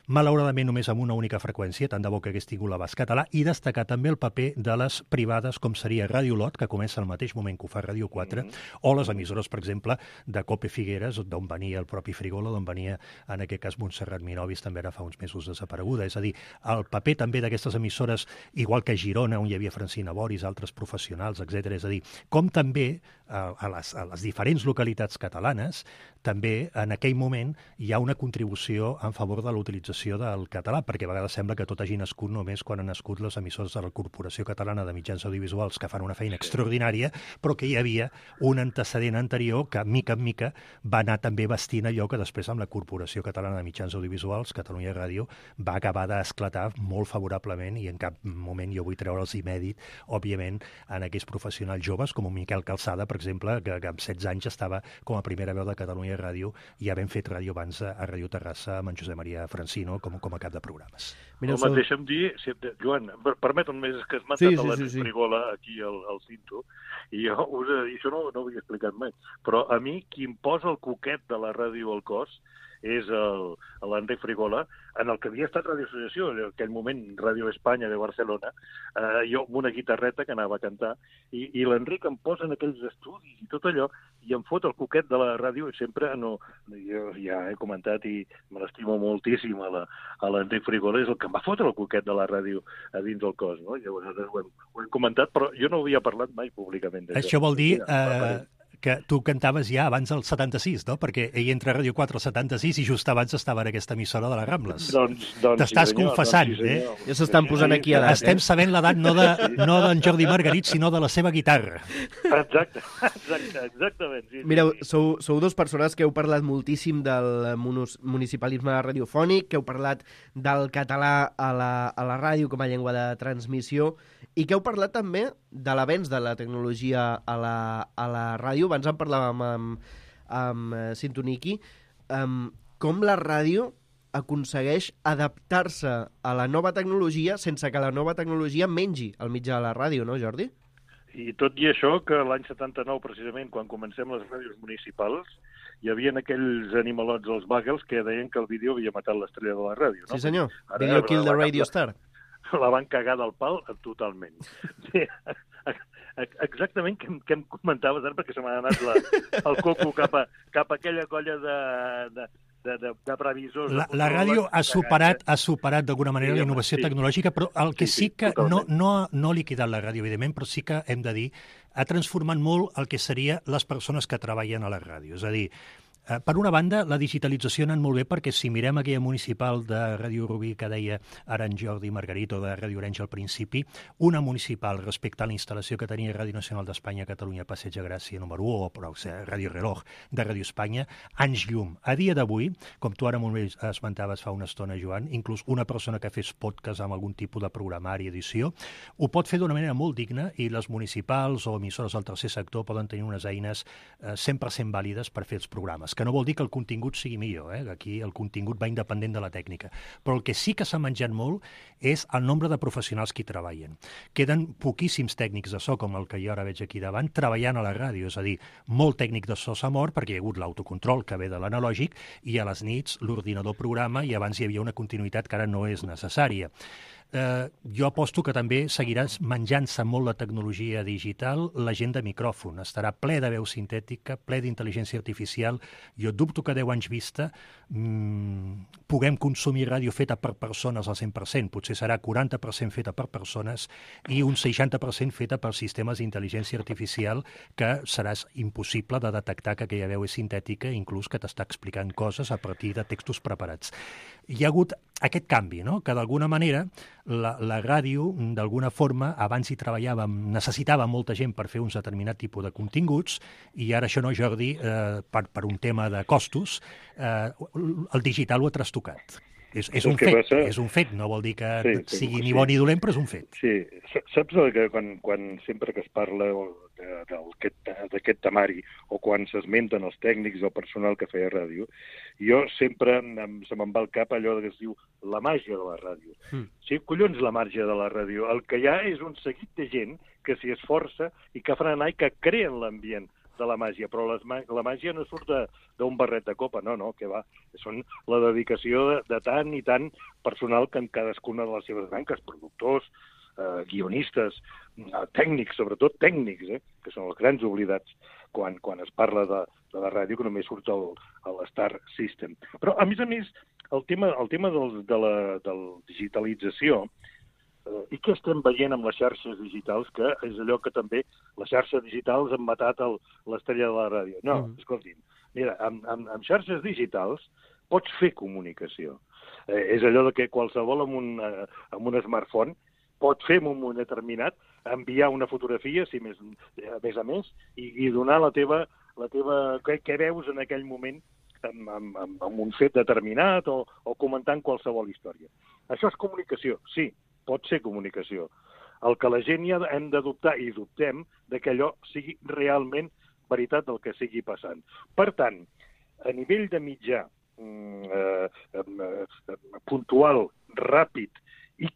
S4: malauradament només amb una única freqüència, tant de bo que hagués tingut l'abast català, i destacar també el paper de les privades, com seria Ràdio Lot, que comença al mateix moment que ho fa Ràdio 4, o les emissores, per exemple, de Cope Figueres, d'on venia el propi Frigola, d'on venia, en aquest cas, Montserrat Minovis, també ara fa uns mesos desapareguda. És a dir, el paper també d'aquestes emissores, igual que a Girona, on hi havia Francina Boris, altres professionals, etc. És a dir, com també a les diferents localitats catalanes, també en aquell moment hi ha una contribució en favor de l'utilització del català, perquè a vegades sembla que tot hagi nascut només quan han nascut les emissores de la Corporació Catalana de Mitjans Audiovisuals, que fan una feina extraordinària, però que hi havia un antecedent anterior que, mica en mica, va anar també vestint allò que després amb la Corporació Catalana de Mitjans Audiovisuals, Catalunya Ràdio, va acabar d'esclatar molt favorablement, i en cap moment jo vull treure'ls i mèrit, òbviament, en aquells professionals joves, com un Miquel Calçada, per exemple, que amb 16 anys estava com a primera veu de Catalunya Ràdio, i havent fet ràdio abans a Ràdio Terrassa amb en Josep Maria Francino com a cap de programes.
S5: Home, deixa'm dir, Joan, permetem més que has matat l'Enric Frigola aquí al Cinto, i jo això no ho havia explicat mai, però a mi qui em posa el coquet de la ràdio al cos és l'Enric Frigola, en el que havia estat Ràdio Associació, en aquell moment Ràdio Espanya de Barcelona, jo amb una guitarreta que anava a cantar, i l'Enric em posa en aquells estudis i tot allò, i em fot el coquet de la ràdio, i sempre, jo ja he comentat i me l'estimo moltíssim a l'Enric Frigola, és el que em va fotre el coquet de la ràdio a dins del cos, no? Llavors ho hem comentat, però jo no havia parlat mai públicament d'això.
S4: Això vol dir que tu cantaves ja abans del 76, no? Perquè ell entra a Ràdio 4 al 76 i just abans estava en aquesta emissora de les Rambles. T'estàs confessant,
S2: eh? Ja s'estan posant aquí a l'edat.
S4: Estem sabent l'edat no d'en Jordi Margarit, sinó de la seva guitarra.
S5: Exactament.
S2: Mireu, sou dos persones que heu parlat moltíssim del municipalisme radiofònic, que heu parlat del català a la ràdio com a llengua de transmissió, i que heu parlat també de l'avenç de la tecnologia a la ràdio. Abans en parlàvem amb Sintoniki. Com la ràdio aconsegueix adaptar-se a la nova tecnologia sense que la nova tecnologia mengi el mitjà de la ràdio, no, Jordi?
S5: I tot i això, que l'any 79, precisament, quan comencem les ràdios municipals, hi havia aquells animalots, els bagels, que deien que el vídeo havia matat l'estrella de la ràdio, no?
S2: Sí, senyor. Video kill the radio star.
S5: La van cagar del pal totalment. Exactament què em comentaves ara, perquè se m'ha anat el coco cap a aquella colla de previsors.
S4: La ràdio ha superat d'alguna manera la innovació tecnològica, però el que sí que no ha liquidat la ràdio, evidentment, però sí que hem de dir, ha transformat molt el que seria les persones que treballen a la ràdio. És a dir, Per una banda, la digitalització ha anat molt bé perquè si mirem aquella municipal de Ràdio Rubí que deia ara en Jordi Margarit o de Ràdio Orenys al principi, una municipal respecte a la instal·lació que tenia Ràdio Nacional d'Espanya a Catalunya, Passeig de Gràcia número 1, o però, Ràdio Reloj de Ràdio Espanya, anys llum. A dia d'avui, com tu ara molt bé esmentaves fa una estona, Joan, inclús una persona que fes podcast amb algun tipus de programari, edició, ho pot fer d'una manera molt digna i les municipals o emissores del tercer sector poden tenir unes eines 100% vàlides per fer els programes, que no vol dir que el contingut sigui millor, aquí el contingut va independent de la tècnica, però el que sí que s'ha menjat molt és el nombre de professionals que hi treballen. Queden poquíssims tècnics de so, com el que jo ara veig aquí davant, treballant a la ràdio, és a dir, molt tècnic de so s'ha mort perquè hi ha hagut l'autocontrol que ve de l'analògic i a les nits l'ordinador programa i abans hi havia una continuïtat que ara no és necessària. Jo aposto que també seguiràs menjant-se molt la tecnologia digital, la gent de micròfon. Estarà ple de veu sintètica, ple d'intel·ligència artificial. Jo dubto que 10 anys vista puguem consumir ràdio feta per persones al 100%. Potser serà 40% feta per persones i un 60% feta per sistemes d'intel·ligència artificial que seràs impossible de detectar que aquella veu és sintètica, inclús que t'està explicant coses a partir de textos preparats. Hi ha hagut aquest canvi, no? Que d'alguna manera la ràdio, d'alguna forma, abans hi treballàvem, necessitava molta gent per fer un determinat tipus de continguts, i ara això no, Jordi, per un tema de costos, el digital ho ha trastocat. És un fet, passa... és un fet, no vol dir que sigui ni bo ni dolent, però és un fet.
S5: Sí, saps que quan sempre que es parla d'aquest temari o quan s'esmenten els tècnics o el personal que feia ràdio, jo sempre se me'n va al cap allò que es diu la màgia de la ràdio. Sí, collons, la màgia de la ràdio. El que hi ha és un seguit de gent que s'hi esforça i que fan anar i que creen l'ambient de la màgia, però la màgia no surt d'un barret de copa, no, que va. Són la dedicació de tant i tant personal que en cadascuna de les seves branques, productors, guionistes, tècnics, sobretot tècnics, que són els grans oblidats quan es parla de la ràdio, que només surt l'Star System. Però, a més, el tema de la digitalització, i què estem veient amb les xarxes digitals, que és allò que també les xarxes digitals han matat l'estrella de la ràdio. No, escolti'm, mira, amb xarxes digitals pots fer comunicació. És allò que qualsevol amb un smartphone pot fer en un moment determinat, enviar una fotografia, si més a més, i donar la teva què veus en aquell moment amb un fet determinat o comentant qualsevol història. Això és comunicació, sí, pot ser comunicació. El que la gent ja hem de dubtar, i dubtem, que allò sigui realment veritat del que sigui passant. Per tant, a nivell de mitjà puntual, ràpid i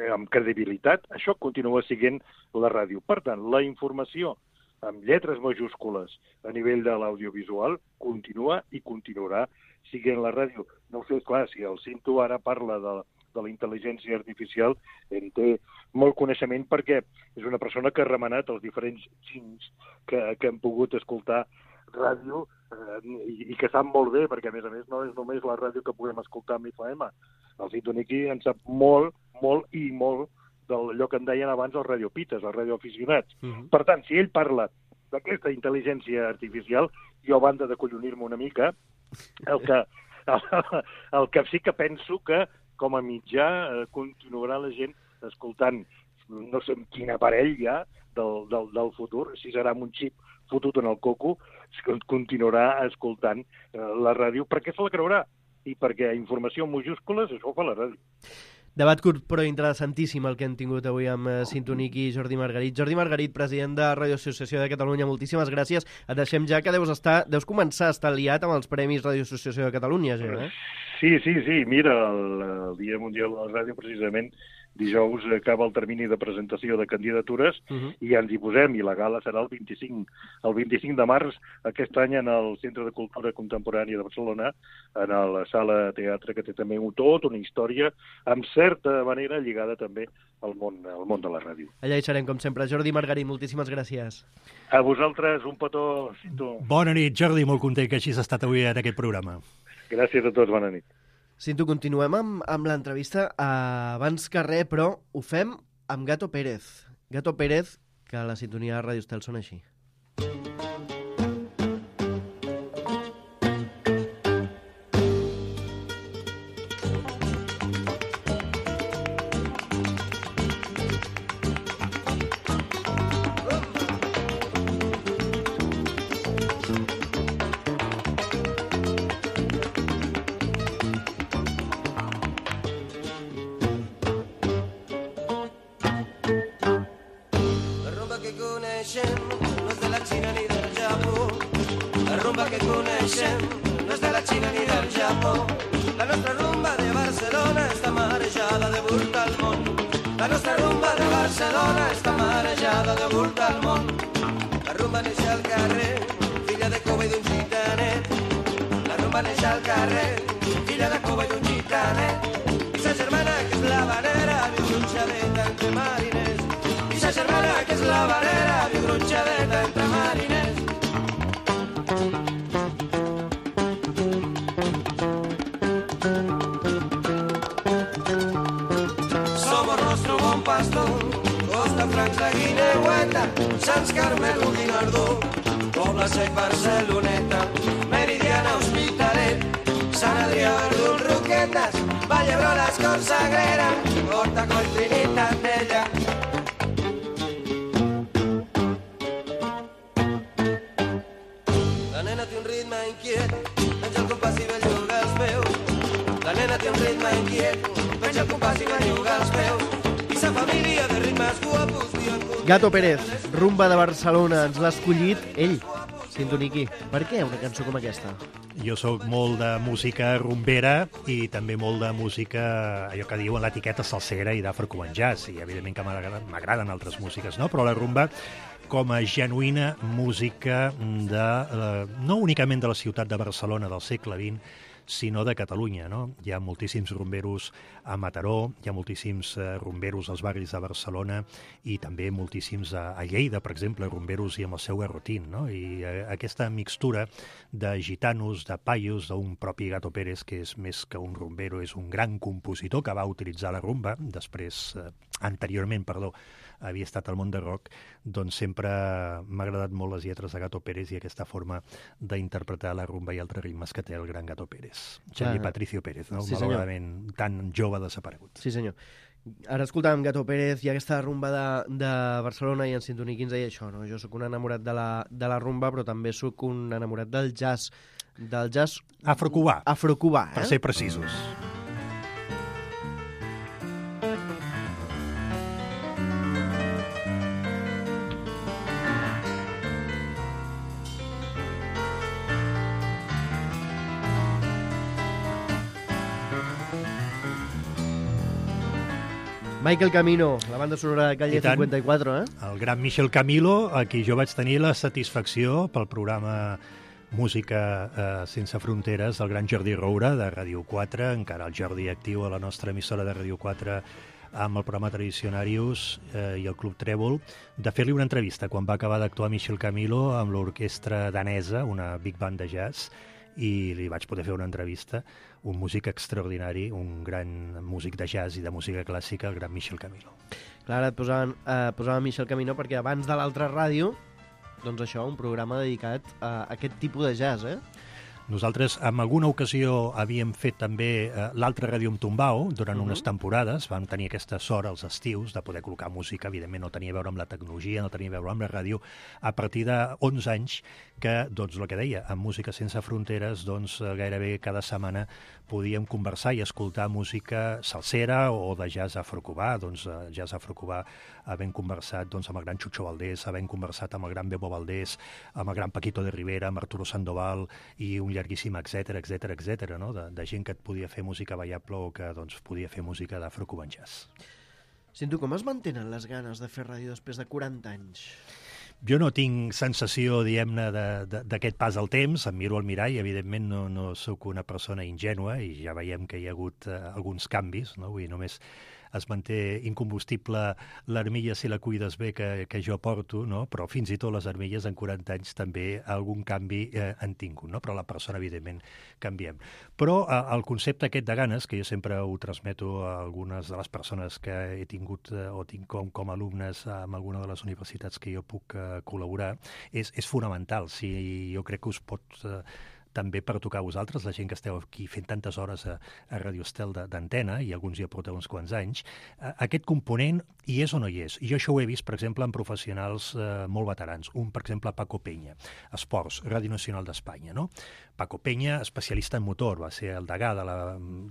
S5: amb credibilitat, això continua sent la ràdio. Per tant, la informació amb lletres majúscules a nivell de l'audiovisual continua i continuarà sent la ràdio. No ho sé, clar, si el Cinto ara parla de la intel·ligència artificial, en té molt coneixement perquè és una persona que ha remenat els diferents xings que hem pogut escoltar ràdio i que sap molt bé, perquè a més no és només la ràdio que podem escoltar amb FM. El Cinto Niqui en sap molt d'allò que en deien abans els radiopites, els radioaficionats. Per tant, si ell parla d'aquesta intel·ligència artificial, jo, a banda de collonir-me una mica, el que sí que penso que com a mitjà continuarà la gent escoltant, no sé quin aparell ja del futur, si serà amb un xip fotut en el coco, continuarà escoltant la ràdio, perquè se la creurà, i perquè informació en majúscules, això ho fa la ràdio.
S2: Debat curt però interessantíssim el que hem tingut avui amb Cinto Niqui i Jordi Margarit. Jordi Margarit, president de Radio Associació de Catalunya, moltíssimes gràcies. Et deixem ja que deus començar a estar liat amb els Premis Radio Associació de Catalunya, ja,
S5: Sí. Mira, el Dia Mundial de la Ràdio, precisament, dijous acaba el termini de presentació de candidatures i ja ens hi posem, i la gala serà el 25 de març, aquest any en el Centre de Cultura Contemporània de Barcelona, en la sala teatre, que té també tota una història, amb certa manera lligada també al món de la ràdio.
S2: Allà hi serem, com sempre. Jordi Margarit, moltíssimes gràcies.
S5: A vosaltres, un petó, Cinto.
S4: Bona nit, Jordi, molt content que hagis estat avui en aquest programa.
S5: Gràcies a tots, bona nit.
S2: Cinto, continuem amb l'entrevista abans que res, però ho fem amb Gato Pérez. Gato Pérez, que a la sintonia de Ràdio Estel sona així.
S6: coneixem no és de la Xina ni del Japó. La nostra rumba de Barcelona està marejada de volta al món. La nostra rumba de Barcelona està marejada de volta al món. La rumba neix al carrer, filla de cova i d'un gitanet. La rumba neix al carrer, filla de cova i d'un gitanet. I sa germana que és la vanera viu gronxadeta entre mariners. I sa germana que és la vanera viu gronxadeta entre mariners. Costa Francs, la Guineueta, Sants Carmel, Guinardó, Pobla Sec, Barceloneta, Meridiana, Hospitalet, Sant Adrià, Verdun, Roquetes, Vallebrola, Escort, Sagrera, Horta, Coll, Trinitat, Tella. La nena té un ritme inquiet, menja el compàs i belluga els peus. La nena té un ritme inquiet, menja el compàs i belluga els peus. Família de ritmes guapos.
S2: Gato Pérez, rumba de Barcelona, ens l'ha escollit ell, Sintoniqui. Per què una cançó com aquesta?
S4: Jo sóc molt de música rumbera i també molt de música, allò que diuen l'etiqueta salsera i d'afro-cuban jazz, i evidentment que m'agraden altres músiques, no? Però la rumba com a genuïna música no únicament de la ciutat de Barcelona del segle XX, sinó de Catalunya, no? Hi ha moltíssims rumberos a Mataró, hi ha moltíssims rumberos als barris de Barcelona i també moltíssims a Lleida, per exemple, rumberos i amb el seu garrotín, no? I aquesta mixtura de gitanos, de paios, d'un propi Gato Pérez, que és més que un rumbero, és un gran compositor que va utilitzar la rumba, anteriorment, havia estat al món de rock, doncs sempre m'ha agradat molt les lletres de Gato Pérez i aquesta forma d'interpretar la rumba i altres ritmes que té el gran Gato Pérez. Xavier Patricio Pérez, no?
S2: Sí,
S4: malauradament tan jove desaparegut.
S2: Sí, senyor. Ara escoltàvem Gato Pérez i aquesta rumba de Barcelona i en Sintoniqui ens deia això, no? Jo sóc un enamorat de la rumba, però també sóc un enamorat del jazz
S4: Afro-cubà.
S2: Afro-cubà,
S4: per ser precisos.
S2: Michael Camilo, la banda sonora de Calle 54, eh?
S4: El gran Michel Camilo, a qui jo vaig tenir la satisfacció pel programa Música sense fronteres del gran Jordi Roura de Ràdio 4, encara el Jordi actiu a la nostra emissora de Ràdio 4 amb el programa Tradicionarius i el Club Trèvol, de fer-li una entrevista quan va acabar d'actuar Michel Camilo amb l'orquestra danesa, una big band de jazz, i li vaig poder fer una entrevista, un músic extraordinari, un gran músic de jazz i de música clàssica, el gran Michel Camilo.
S2: Clar, et posava Michel Camilo perquè abans de l'altra ràdio, doncs això, un programa dedicat a aquest tipus de jazz, eh?
S4: Nosaltres, en alguna ocasió, havíem fet també l'altra ràdio amb Tumbao durant unes temporades. Vam tenir aquesta sort als estius de poder col·locar música. Evidentment no tenia a veure amb la tecnologia, no tenia a veure amb la ràdio. A partir de 11 anys que, doncs, el que deia, amb Música sense fronteres, doncs, gairebé cada setmana podíem conversar i escoltar música salsera o de jazz afro-cubà. Doncs jazz afro-cubà havent conversat doncs, amb el gran Chucho Valdés, havent conversat amb el gran Bebo Valdés, amb el gran Paquito de Rivera, amb Arturo Sandoval i un llarguíssim, etcètera, no? De gent que et podia fer música ballable o que doncs, podia fer música d'afro-cuban jazz.
S2: Sento, com es mantenen les ganes de fer ràdio després de 40 anys?
S4: Jo no tinc sensació, diguem-ne, d'aquest pas al temps. Em miro al mirall, evidentment no sóc una persona ingènua i ja veiem que hi ha hagut alguns canvis, no? Vull dir, només es manté incombustible l'armilla si la cuides bé que jo porto, no? Però fins i tot les armilles en 40 anys també algun canvi han tingut, no? Però la persona, evidentment, canviem. Però el concepte aquest de ganes, que jo sempre ho transmeto a algunes de les persones que he tingut o tinc com alumnes en alguna de les universitats que jo puc col·laborar, és fonamental. Si jo crec que us pot també per tocar a vosaltres, la gent que esteu aquí fent tantes hores a Radio Estel d'antena, i alguns ja porteu uns quants anys, aquest component hi és o no hi és. I jo això ho he vist, per exemple, en professionals molt veterans. Un, per exemple, Paco Peña, Esports, Ràdio Nacional d'Espanya, no? Paco Peña, especialista en motor, va ser el degà de la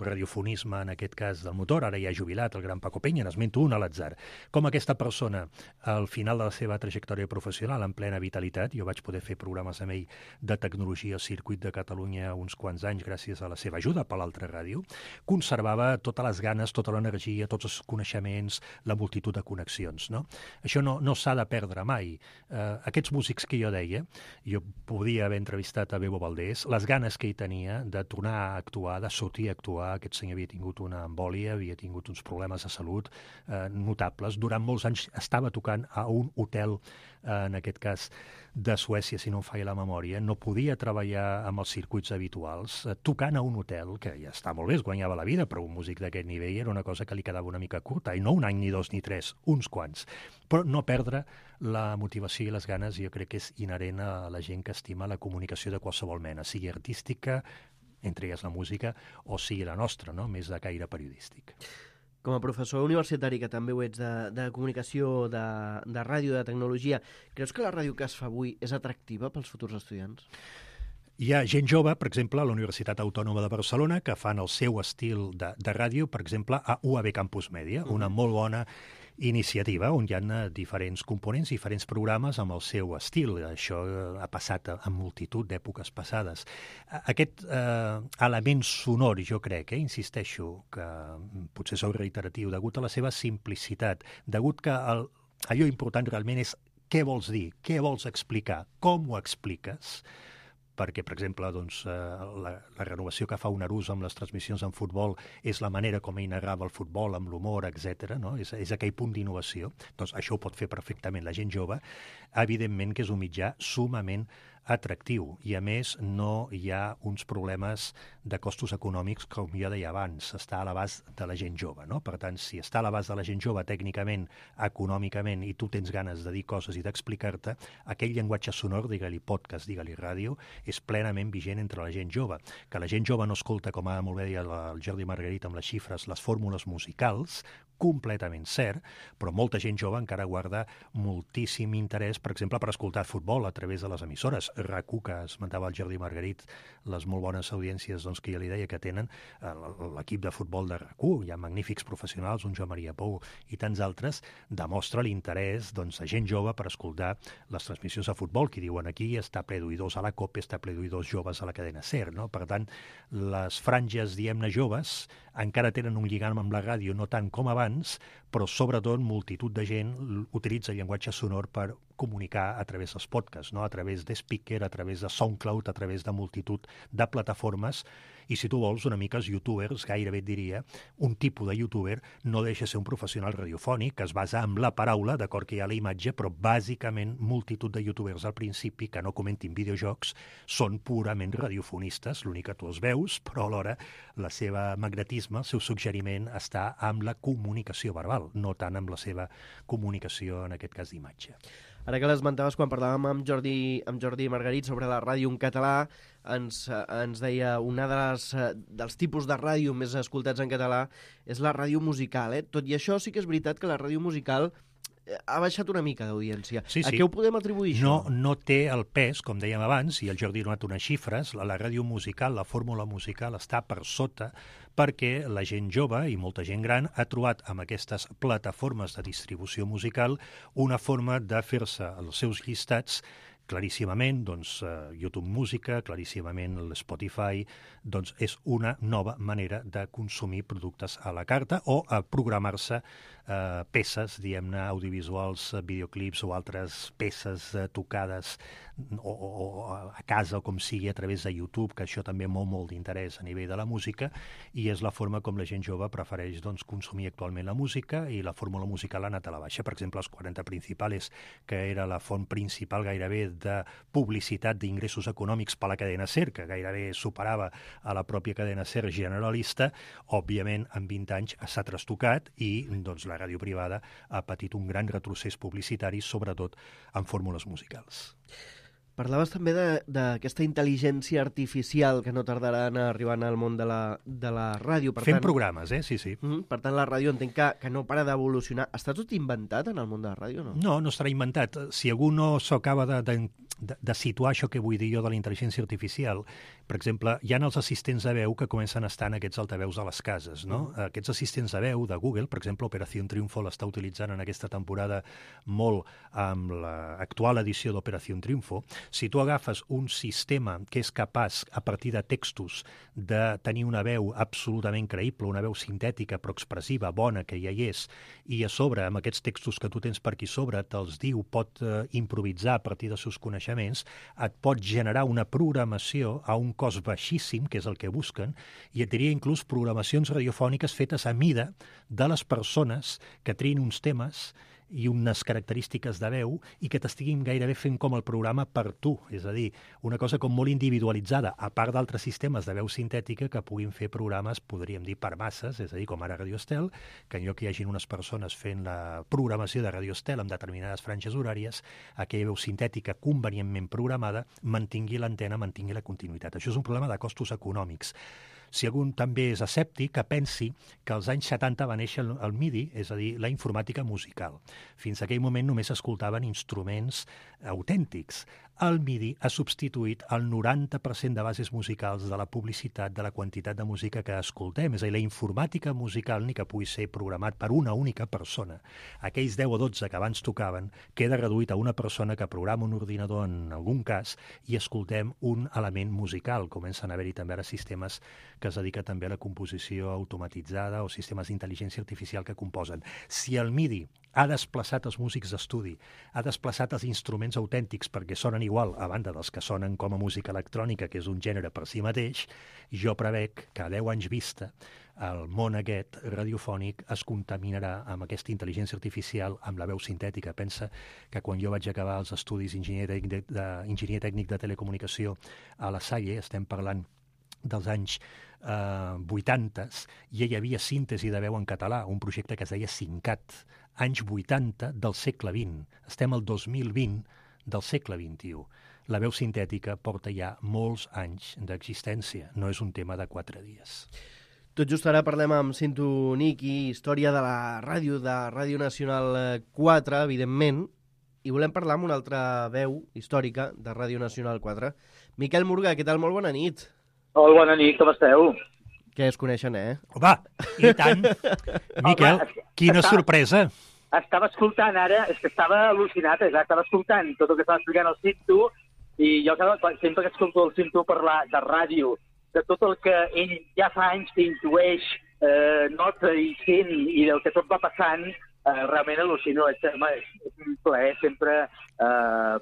S4: radiofonisme, en aquest cas del motor, ara ja ha jubilat el gran Paco Peña, n'esmento un a l'atzar. Com aquesta persona, al final de la seva trajectòria professional, en plena vitalitat, jo vaig poder fer programes amb ell de tecnologia, circuit de de Catalunya uns quants anys gràcies a la seva ajuda per l'altra ràdio, conservava totes les ganes, tota l'energia, tots els coneixements, la multitud de connexions. No? Això no s'ha de perdre mai. Aquests músics que jo deia, jo podia haver entrevistat a Bebo Valdés, les ganes que ell tenia de tornar a actuar, de sortir a actuar, aquest senyor havia tingut una embòlia, havia tingut uns problemes de salut notables. Durant molts anys estava tocant a un hotel, en aquest cas de Suècia, si no em falla la memòria, no podia treballar amb els circuits habituals, tocant a un hotel, que ja està molt bé, es guanyava la vida, però un músic d'aquest nivell era una cosa que li quedava una mica curta, i no un any, ni dos, ni tres, uns quants. Però no perdre la motivació i les ganes, jo crec que és inherent a la gent que estima la comunicació de qualsevol mena, sigui artística, entre elles la música, o sigui la nostra, no? Més de caire periodístic.
S2: Com a professor universitari, que també ho ets de comunicació, de ràdio, de tecnologia, creus que la ràdio que es fa avui és atractiva pels futurs estudiants?
S4: Hi ha gent jove, per exemple, a la Universitat Autònoma de Barcelona, que fan el seu estil de ràdio, per exemple, a UAB Campus Mèdia, una molt bona iniciativa on hi ha diferents components, diferents programes amb el seu estil. Això ha passat en multitud d'èpoques passades. Aquest element sonor, jo crec, insisteixo, que potser sou reiteratiu, degut a la seva simplicitat, degut que allò important realment és què vols dir, què vols explicar, com ho expliques, perquè, per exemple, doncs, la renovació que fa un Arús amb les transmissions en futbol és la manera com ell narrava el futbol, amb l'humor, etc. No? És aquell punt d'innovació. Doncs això ho pot fer perfectament la gent jove. Evidentment que és un mitjà sumament atractiu i, a més, no hi ha uns problemes de costos econòmics, com jo deia abans, està a l'abast de la gent jove. No? Per tant, si està a l'abast de la gent jove tècnicament, econòmicament, i tu tens ganes de dir coses i d'explicar-te, aquell llenguatge sonor, digue-li podcast, digue-li ràdio, és plenament vigent entre la gent jove. Que la gent jove no escolta, com ara molt bé deia el Jordi Margarit amb les xifres, les fórmules musicals, completament cert, però molta gent jove encara guarda moltíssim interès, per exemple, per escoltar futbol a través de les emissores. RAC1, que esmentava el Jordi Margarit, les molt bones audiències doncs, que ja li deia que tenen l'equip de futbol de RAC1, hi ha magnífics professionals, un Joan Maria Pou i tants altres, demostra l'interès doncs, de gent jove per escoltar les transmissions de futbol, que diuen aquí està ple d'oïdors a la COPE, està ple d'oïdors joves a la cadena SER. No? Per tant, les franges, diguem-ne, joves, encara tenen un lligam amb la ràdio, no tant com abans, però sobretot multitud de gent utilitza el llenguatge sonor per comunicar a través dels podcasts, no? A través de Spreaker, a través de SoundCloud, a través de multitud de plataformes. I si tu vols, una mica els youtubers, gairebé et diria, un tipus de youtuber no deixa ser un professional radiofònic que es basa en la paraula, d'acord que hi ha la imatge, però bàsicament multitud de youtubers al principi que no comentin videojocs són purament radiofonistes, l'únic que tu els veus, però alhora la seva magnetisme, el seu suggeriment està amb la comunicació verbal, no tant amb la seva comunicació, en aquest cas, d'imatge.
S2: Ara que l'esmentaves quan parlàvem amb Jordi Margarit sobre la ràdio en català, ens deia una dels tipus de ràdio més escoltats en català és la ràdio musical. Tot i això sí que és veritat que la ràdio musical ha baixat una mica d'audiència. Sí. A què ho podem atribuir, això?
S4: No té el pes, com dèiem abans, i el Jordi ha donat unes xifres, la ràdio musical, la fórmula musical està per sota perquè la gent jove i molta gent gran ha trobat amb aquestes plataformes de distribució musical una forma de fer-se els seus llistats claríssimament, doncs, YouTube Música, claríssimament l'Spotify, doncs és una nova manera de consumir productes a la carta o a programar-se peces, diguem-ne, audiovisuals, videoclips o altres peces tocades o a casa o com sigui a través de YouTube, que això també molt d'interès a nivell de la música, i és la forma com la gent jove prefereix doncs, consumir actualment la música, i la fórmula musical ha anat a la baixa. Per exemple, els 40 Principales, que era la font principal gairebé de publicitat d'ingressos econòmics per la cadena SER, que gairebé superava a la pròpia cadena SER generalista, òbviament en 20 anys s'ha trastocat i doncs, la ràdio privada ha patit un gran retrocés publicitari, sobretot en fórmules musicals.
S2: Parlaves també d'aquesta intel·ligència artificial que no tardarà en arribar al món de la ràdio.
S4: Fem programes, sí.
S2: Per tant, la ràdio entenc que no para d'evolucionar. Està tot inventat en el món de la ràdio, no?
S4: No estarà inventat. Si algú no s'acaba de situar això que vull dir jo de la intel·ligència artificial, per exemple, hi ha els assistents de veu que comencen a estar en aquests altaveus a les cases, no? Aquests assistents de veu de Google, per exemple, Operación Triunfo l'està utilitzant en aquesta temporada molt amb l'actual edició d'Operación Triunfo, Si tu agafes un sistema que és capaç, a partir de textos, de tenir una veu absolutament creïble, una veu sintètica però expressiva, bona, que ja hi és, i a sobre, amb aquests textos que tu tens per aquí sobre, te'ls diu, pot improvisar a partir dels seus coneixements, et pot generar una programació a un cost baixíssim, que és el que busquen, i et diria inclús programacions radiofòniques fetes a mida de les persones que triïn uns temes i unes característiques de veu i que t'estiguin gairebé fent com el programa per tu. És a dir, una cosa com molt individualitzada, a part d'altres sistemes de veu sintètica que puguin fer programes, podríem dir, per masses, és a dir, com ara Radio Estel, que en lloc que hi hagin unes persones fent la programació de Radio Estel amb determinades franges horàries, aquella veu sintètica convenientment programada mantingui l'antena, mantingui la continuïtat. Això és un problema de costos econòmics. Si algú també és escèptic, que pensi que als anys 70 va néixer el MIDI, és a dir, la informàtica musical. Fins a aquell moment només s'escoltaven instruments autèntics. El MIDI ha substituït el 90% de bases musicals de la publicitat, de la quantitat de música que escoltem. És a dir, la informàtica musical, ni que pugui ser programat per una única persona. Aquells 10 o 12 que abans tocaven queda reduït a una persona que programa un ordinador en algun cas i escoltem un element musical. Comencen a haver-hi també ara sistemes que es dediquen també a la composició automatitzada o sistemes d'intel·ligència artificial que composen. Si el MIDI ha desplaçat els músics d'estudi, ha desplaçat els instruments autèntics perquè sonen igual, a banda dels que sonen com a música electrònica, que és un gènere per si mateix, jo prevec que a 10 anys vista el món aquest radiofònic es contaminarà amb aquesta intel·ligència artificial, amb la veu sintètica. Pensa que quan jo vaig acabar els estudis d'enginyer tècnic de telecomunicació a la Salle, estem parlant dels anys 80, ja hi havia síntesi de veu en català, un projecte que es deia SINCAT, anys 80 del segle XX. Estem al 2020 del segle XXI. La veu sintètica porta ja molts anys d'existència, no és un tema de 4 dies.
S2: Tot just ara parlem amb Cinto Niqui, història de la ràdio, de Ràdio Nacional 4, evidentment, i volem parlar amb una altra veu històrica de Ràdio Nacional 4. Miquel Murga, què tal? Molt bona nit.
S7: Hola, bona nit, com esteu?
S2: Que es coneixen,
S4: Home, i tant. Miquel, quina sorpresa.
S7: Estava escoltant ara, és que estava al·lucinat, estava escoltant tot el que estava explicant el Cinto, i jo sempre que escolto el Cinto parlar de ràdio, de tot el que ell ja fa anys que intueix, nota i sent, i del que tot va passant, realment al·lucino. És un plaer sempre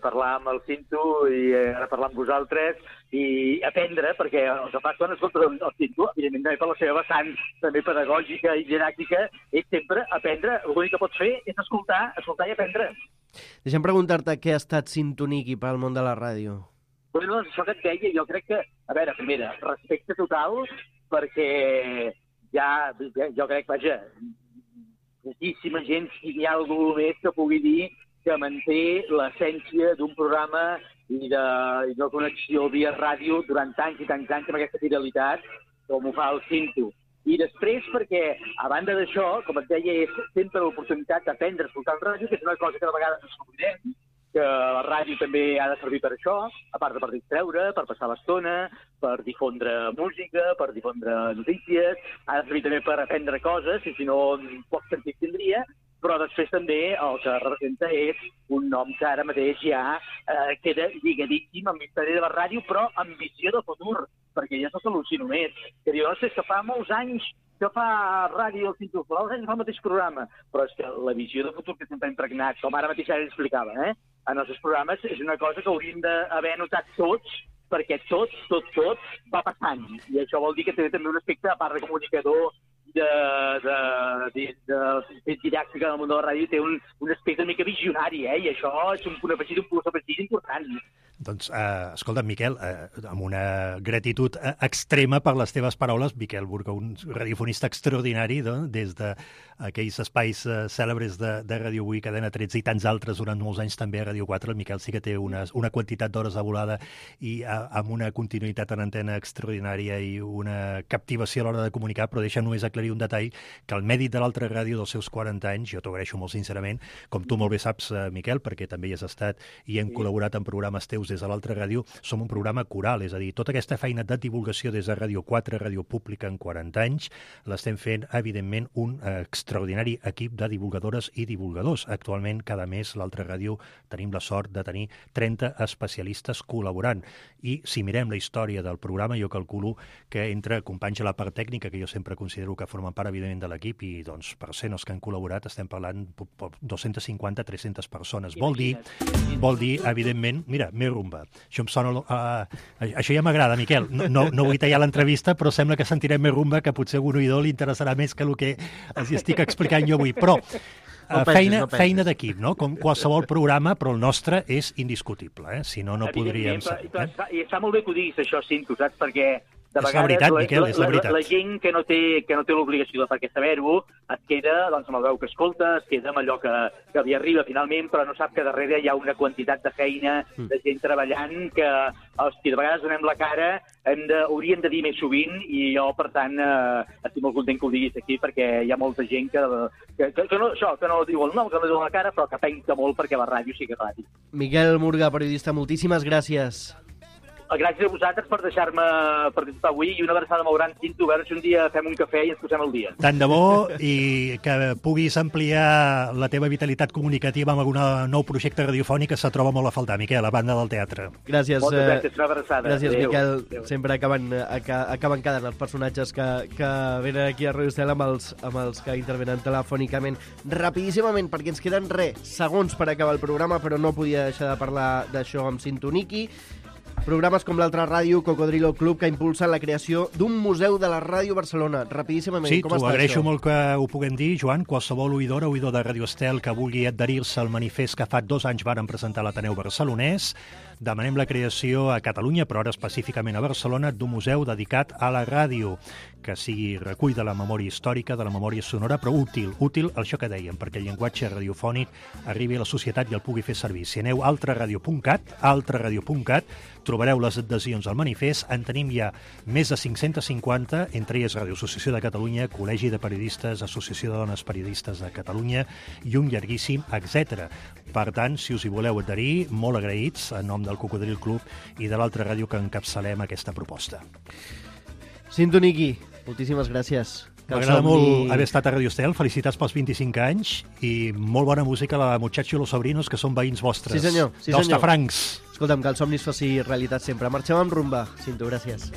S7: parlar amb el Cinto i ara parlar amb vosaltres i aprendre, perquè el que fa quan escoltes el Cinto, evidentment també per la seva vessant també pedagògica i didàctica, és sempre aprendre. L'únic que pots fer és escoltar i aprendre.
S2: Deixa'm preguntar-te què ha estat Cinto Niqui per al món de la ràdio.
S7: Bueno, doncs això que et deia, jo crec que, a veure, primera, respecte total, perquè jo crec, vaja, moltíssima gent, si hi ha algú més que pugui dir que manté l'essència d'un programa i de connexió via ràdio durant tants i tants anys amb aquesta fidelitat, com ho fa el Cinto. I després perquè, a banda d'això, com et deia, és sempre l'oportunitat d'aprendre a escoltar el ràdio, que és una cosa que de vegades ens oblidem, que la ràdio també ha de servir per això, a part de per distreure, per passar l'estona, per difondre música, per difondre notícies, ha de servir també per aprendre coses, i si no, poc sentit tindria, però després també el que representa és un nom que ara mateix ja queda lligadíssim amb l'història de la ràdio, però amb visió de futur, perquè ja s'al·lucino més. Que diu, no sé, que fa molts anys que fa ràdio el Cinto, fa molts anys que fa el mateix programa, però és que la visió de futur que sempre ha impregnat, com ara mateix ara explicava, en els seus programes, és una cosa que hauríem d'haver notat tots, perquè tot va passant. I això vol dir que té també un aspecte, a part de comunicador, de didàctica del món de la ràdio, té un aspecte una mica visionari, i això és un punt afegit, un plus afegit important.
S4: Doncs, escolta, Miquel, amb una gratitud extrema per les teves paraules, Miquel Burga, un radiofonista extraordinari, des d'aquells espais cèlebres de Ràdio 8, Cadena 13 i tants altres durant molts anys també a Ràdio 4. El Miquel sí que té una quantitat d'hores de volada i amb una continuïtat en antena extraordinària i una captivació a l'hora de comunicar, però deixa només aclarir un detall, que el mèrit de l'altra ràdio dels seus 40 anys, jo t'ho agraeixo molt sincerament, com tu molt bé saps, Miquel, perquè també hi has estat i hem col·laborat en programes teus informatius des de l'altra ràdio, som un programa coral, és a dir, tota aquesta feina de divulgació des de Ràdio 4, Ràdio Pública en 40 anys, l'estem fent, evidentment, un extraordinari equip de divulgadores i divulgadors. Actualment, cada mes, l'altra ràdio tenim la sort de tenir 30 especialistes col·laborant. I si mirem la història del programa, jo calculo que entre companys a la part tècnica, que jo sempre considero que formen part, evidentment, de l'equip, i doncs, per ser els que han col·laborat, estem parlant de 250-300 persones. Vol dir, evidentment, mira, més rumba. Això em sona... això ja m'agrada, Miquel. No vull tallar l'entrevista, però sembla que sentirem més rumba, que potser a un oïdor li interessarà més que el que els estic explicant jo avui. Però feina d'equip, no? Com qualsevol programa, però el nostre és indiscutible, Si no, no podríem...
S7: I està molt bé que ho diguis, això, Cinto, saps? Perquè de
S4: és la veritat, Miquel, és la veritat.
S7: La gent que no té l'obligació de perquè saber-ho es queda amb la veu que escolta, es queda amb allò que li arriba finalment, però no sap que darrere hi ha una quantitat de feina, de gent treballant, que, hòstia, de vegades donem la cara, hauríem de dir més sovint, i jo, per tant, estic molt content que ho diguis aquí, perquè hi ha molta gent que no diu el nom, que no diu la cara, però que pensa molt perquè la ràdio sigui ràdio.
S2: Miquel Murga, periodista, moltíssimes gràcies.
S7: Gràcies a vosaltres per deixar-me participar avui, i una abraçada molt gran, Cinto, a veure si un dia fem un cafè i ens posem al dia.
S4: Tant de bo, i que puguis ampliar la teva vitalitat comunicativa amb algun nou projecte radiofònic que se troba molt a faltar, Miquel, a banda del teatre.
S2: Gràcies.
S7: Moltes gràcies, una abraçada.
S2: Gràcies, Miquel. Sempre acaben quedant els personatges que venen aquí a Radio Estel amb els que intervenen telefònicament. Rapidíssimament, perquè ens queden segons per acabar el programa, però no podia deixar de parlar d'això amb Cinto Niki. Programes com l'altra ràdio, Cocodrilo Club, que impulsen la creació d'un museu de la ràdio Barcelona. Rapidíssimament,
S4: sí,
S2: com està això? Sí, t'ho
S4: agraeixo molt que ho puguem dir, Joan. Qualsevol oïdor de Radio Estel que vulgui adherir-se al manifest que fa 2 anys varen presentar a l'Ateneu Barcelonès, demanem la creació a Catalunya, però ara específicament a Barcelona, d'un museu dedicat a la ràdio, que sigui recull de la memòria històrica, de la memòria sonora, però útil això que dèiem, perquè el llenguatge radiofònic arribi a la societat i el pugui fer servir. Si aneu a altraradio.cat, trobareu les adhesions al manifest. En tenim ja més de 550, entre elles Ràdio Associació de Catalunya, Col·legi de Periodistes, Associació de Dones Periodistes de Catalunya i un llarguíssim, etc. Per tant, si us hi voleu adherir, molt agraïts, en nom del Cocodril Club i de l'altra ràdio que encapçalem aquesta proposta.
S2: Cinto Niki, moltíssimes gràcies.
S4: M'agrada molt haver estat a Radio Estel, felicitats pels 25 anys i molt bona música a la Muchacho i los Sobrinos, que són veïns vostres.
S2: Sí, senyor.
S4: D'Hostafrancs.
S2: Escolta'm, que el somni es faci realitat sempre. Marxem amb rumba. Cinto, gràcies.